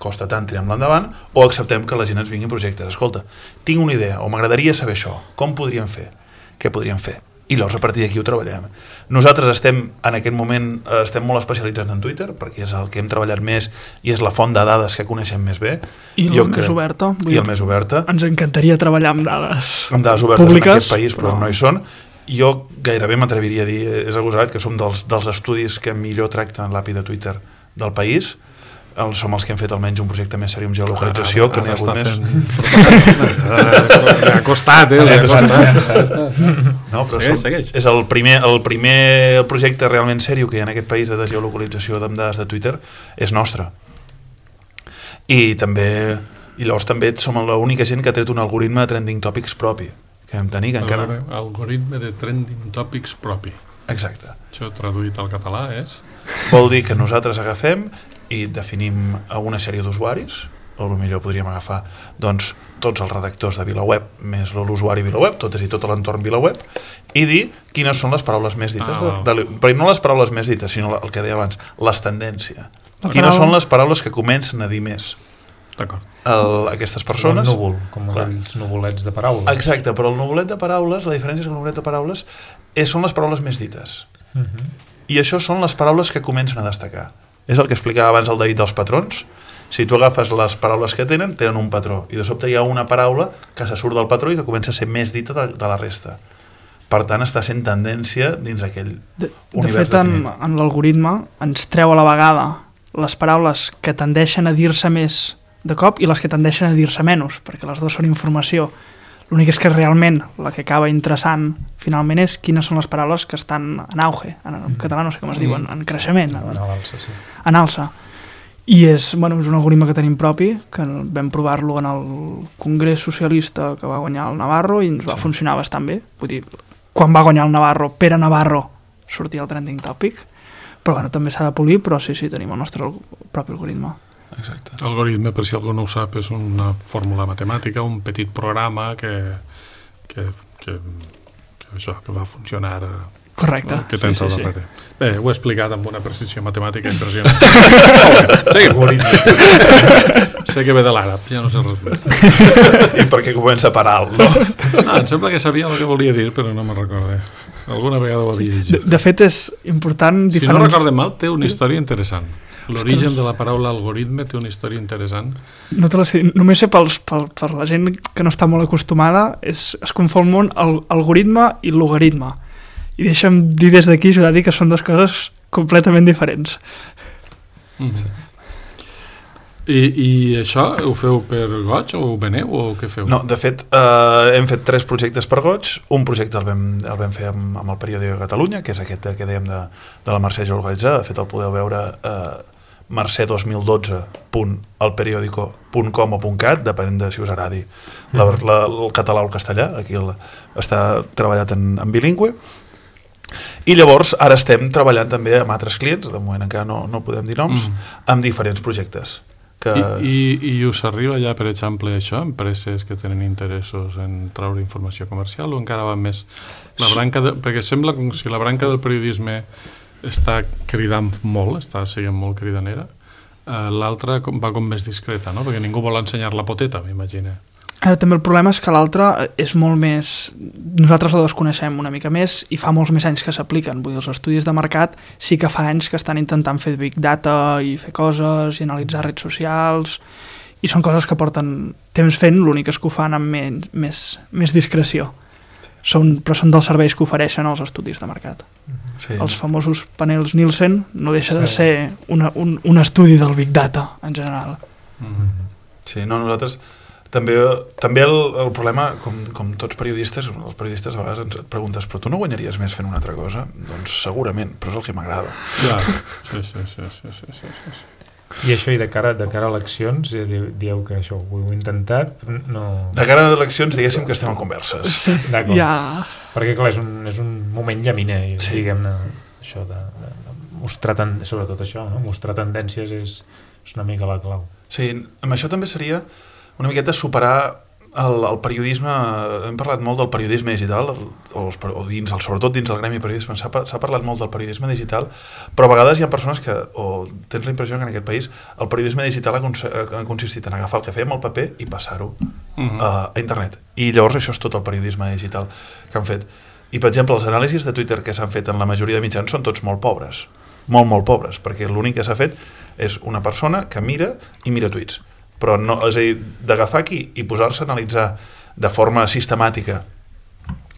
costa tant, tirem-la endavant, o acceptem que la gent ens vingui projectes. Escolta, tinc una idea, o m'agradaria saber això, com podríem fer? Què podríem fer? I llavors a partir d'aquí ho treballem. Nosaltres estem, en aquest moment, estem molt especialitzats en Twitter, perquè és el que hem treballat més i és la font de dades que coneixem més bé. I el més oberta. I el més oberta. Ens encantaria treballar amb dades amb dades obertes públiques, en aquest país, però, però no hi són. Jo gairebé m'atreviria a dir, és agosat, que som dels, dels estudis que millor tracten l'A P I de Twitter del país. El, som els que hem fet almenys un projecte més seriós amb geolocalització, que n'hi ha hagut més. Ha costat, eh? Ha costat. No, però segueix, segueix. És el primer, el primer projecte realment seriós que hi ha en aquest país de geolocalització amb dades de Twitter és nostre. I també, i llavors també som l'única gent que ha tret un algoritme de trending topics propi, que vam tenir, que encara... Algoritme de trending topics propi. Exacte. Això traduït al català és... Vol dir que nosaltres agafem i definim una sèrie d'usuaris, o potser podríem agafar doncs, tots els redactors de VilaWeb més l'usuari VilaWeb, tot, és a dir, tot l'entorn VilaWeb, i dir quines són les paraules més dites. Ah, de, de, però no les paraules més dites, sinó el que deia abans, les tendències. Quines paraula... són les paraules que comencen a dir més. D'acord. Aquestes persones... Com el núvol, com aquells nuvolets de paraules. Exacte, però el nuvolet de paraules, la diferència és que el nuvolet de paraules és, són les paraules més dites. Uh -huh. I això són les paraules que comencen a destacar. És el que explicava abans el David dels patrons. Si tu agafes les paraules que tenen, tenen un patró, i de sobte hi ha una paraula que se surt del patró i que comença a ser més dita de, de la resta. Per tant, està sent tendència dins aquell de, univers de fet, definit. en, en l'algoritme ens treu a la vegada les paraules que tendeixen a dir-se més de cop i les que tendeixen a dir-se menys, perquè les dues són informació. L'únic és que realment la que acaba interessant finalment és quines són les paraules que estan en auge, en, en català no sé com es diuen, en creixement, en, en alça, sí. En alça. I és, bueno, és un algoritme que tenim propi, que vam provar-lo en el Congrés Socialista que va guanyar el Navarro i ens va sí. funcionar bastant bé. Vull dir, quan va guanyar el Navarro, Pere Navarro sortia el trending topic, però bueno, també s'ha de polir, però sí, sí, tenim el nostre propi algoritme. Exacte. L'algoritme, per si algú no ho sap, és una fórmula matemàtica, un petit programa que, que, que, que, això, que va funcionar... Correcte. Que tens sí, al sí, darrere. sí. Bé, ho he explicat amb una precisió matemàtica impressionant. Seguim. Sé que ve de l'àrab, ja no sé res més. I perquè comença per alt, no? Ah, em sembla que sabia el que volia dir, però no me'n recordo. Alguna vegada ho havia llegit. De, de fet, és important... Si diferents... no recordem mal, té una història interessant. L'origen de la paraula algoritme té una història interessant. No te la sé, només sé pels, pel, per la gent que no està molt acostumada, és, es confon molt el algoritme i logaritme. I deixa'm dir des d'aquí, ajudar a dir que són dues coses completament diferents. Mm-hmm. I, I això ho feu per goig o ho veneu o què feu? No, de fet, eh, hem fet tres projectes per goig. Un projecte el vam, el vam fer amb, amb el Periòdic de Catalunya, que és aquest que dèiem de, de la Mercè geolocalitzada. De fet, el podeu veure eh, mercè dos mil dotze punt el periódico punt com o .cat, depenent de si us agradi la, la, el català o el castellà. Aquí el, està treballat en, en bilingüe. I llavors ara estem treballant també amb altres clients, de moment encara no, no podem dir noms, mm. amb diferents projectes. Que... I, i, I us arriba ja, per exemple, això, empreses que tenen interessos en treure informació comercial o encara va més la branca de, perquè sembla com si la branca del periodisme està cridant molt, està sent molt cridanera. L'altra va com més discreta, no? Perquè ningú vol ensenyar la poteta, m'imagino. Eh, també el problema és que l'altra és molt més... Nosaltres la desconeixem una mica més i fa molts més anys que s'apliquen. Vull dir, els estudis de mercat sí que fa anys que estan intentant fer big data i fer coses i analitzar redes socials i són coses que porten temps fent, l'únic és que ho fan amb men, més, més discreció. Són, però són dels serveis que ofereixen els estudis de mercat. Sí. Els famosos panels Nielsen no deixa sí. de ser una, un, un estudi del big data en general. Mm-hmm. Sí, no, nosaltres també, també el, el problema, com, com tots periodistes, els periodistes a vegades ens preguntes, però tu no guanyaries més fent una altra cosa? Doncs segurament, però és el que m'agrada. Ja, sí, sí, sí, sí, sí, sí, sí. I això, i de cara, de cara a eleccions, dieu que això ho heu intentat, no... De cara a eleccions, diguéssim que estem en converses. Sí, d'acord. Ja... Perquè, clar, és un, és un moment llaminer, sí. diguem-ne, això de, de, de mostrar, ten, sobretot això, no? Mostrar tendències és, és una mica la clau. Sí, amb això també seria una miqueta superar el, el periodisme, hem parlat molt del periodisme digital, o, o dins, el, sobretot dins del gremi periodisme, s'ha parlat molt del periodisme digital, però a vegades hi ha persones que, o tens la impressió que en aquest país el periodisme digital ha, ha consistit en agafar el que fèiem al paper i passar-ho uh-huh. a, a internet. I llavors això és tot el periodisme digital que han fet. I, per exemple, els anàlisis de Twitter que s'han fet en la majoria de mitjans són tots molt pobres, molt, molt pobres, perquè l'únic que s'ha fet és una persona que mira i mira tuits. Però no, és a dir, d'agafar aquí i posar-se a analitzar de forma sistemàtica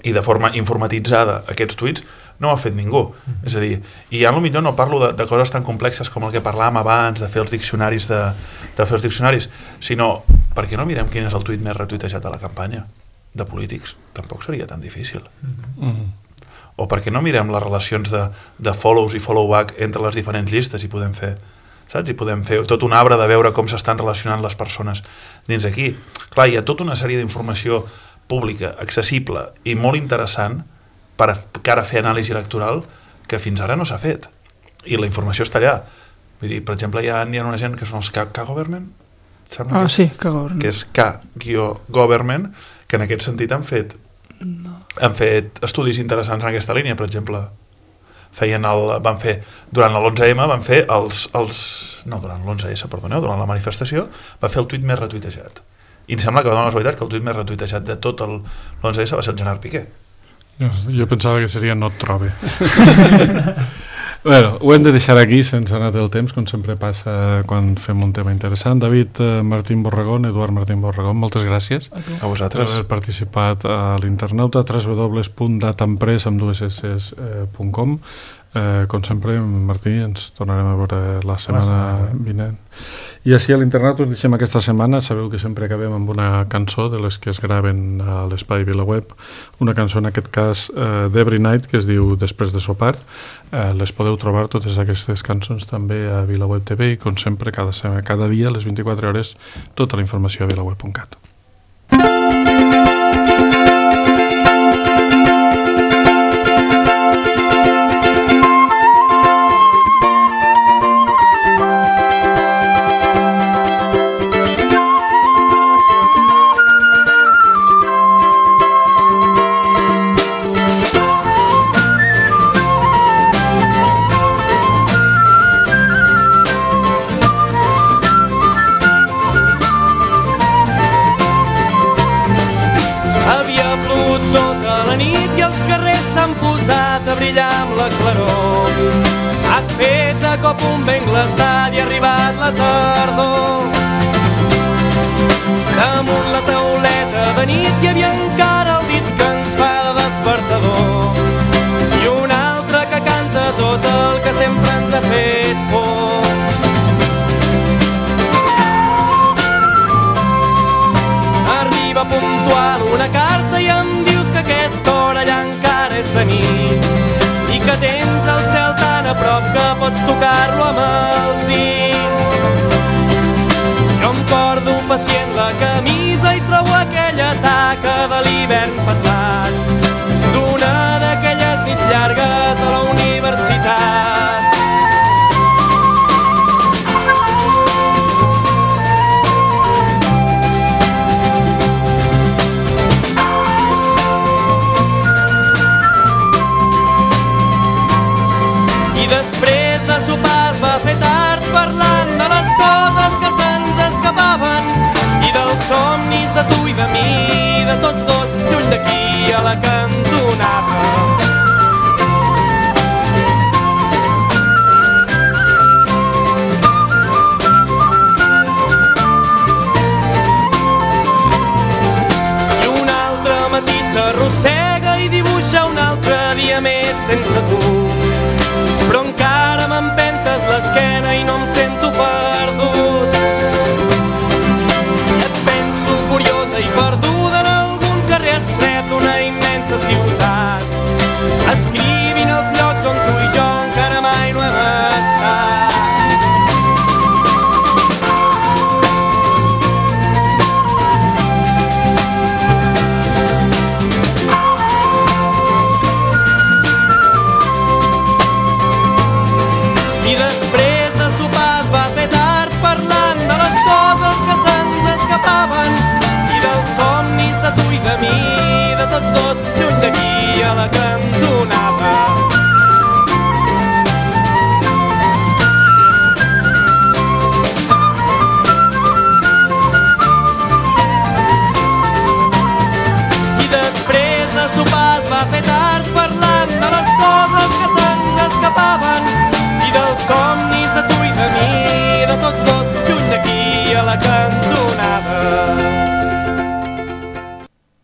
i de forma informatitzada aquests tuits, no ho ha fet ningú. Mm-hmm. És a dir, i ja potser no parlo de, de coses tan complexes com el que parlàvem abans, de fer els diccionaris, de, de fer els diccionaris, sinó, per què no mirem quin és el tuit més retuitejat de la campanya de polítics? Tampoc seria tan difícil. Mm-hmm. O per què no mirem les relacions de, de follows i follow-back entre les diferents llistes i podem fer... saps? I podem fer tot un arbre de veure com s'estan relacionant les persones dins aquí. Clar, hi ha tota una sèrie d'informació pública, accessible i molt interessant per a cara a fer anàlisi electoral que fins ara no s'ha fet. I la informació està allà. Vull dir, per exemple, hi ha, hi ha una gent que són els K-Government, ah, sí, K-Government. Que és K-Government, que en aquest sentit han fet, no. han fet estudis interessants en aquesta línia, per exemple... feien el, van fer, durant l'onze eme van fer els, els no, durant l'onze esse, perdoneu, durant la manifestació va fer el tuit més retuitejat i em sembla que va donar la veritat que el tuit més retuitejat de tot l'onze esse va ser el Gerard Piqué. Jo, jo pensava que seria no et trobe. Bueno, ho hem de deixar aquí sense anar el temps, com sempre passa quan fem un tema interessant. David eh, Martín Borregón, Eduard Martín Borregón, moltes gràcies a, a vosaltres per haver participat a l'Internauta, w w w punt datampress amb dues esses punt com. Eh, com sempre, Martí, ens tornarem a veure la setmana vinent. I així a l'Internauta us deixem aquesta setmana. Sabeu que sempre acabem amb una cançó de les que es graven a l'Espai VilaWeb, una cançó en aquest cas eh, d'Every Night que es diu Després de sopar. Eh, les podeu trobar totes aquestes cançons també a VilaWeb T V i com sempre cada, cada dia a les vint-i-quatre hores tota la informació a vilaweb punt cat. Cop un vent glaçat i ha arribat la tardor. Damunt la tauleta de nit hi havia encara el disc que ens fa de despertador i un altre que canta tot el que sempre ens ha fet por. Arriba puntual una carta i em dius que aquesta hora ja encara és de nit i que tens el cel tan a prop que pots tocar-lo amb els dits. Jo em porto pacient la camisa i trobo aquella taca de l'hivern passat d'una d'aquelles nits llargues a la universitat. I després de sopar es va fer tard parlant de les coses sense tu. Però encara m'empentes l'esquena i no em sento perdut. Et penso curiosa i perduda en algun carrer estret d'una immensa ciutat, escrivint els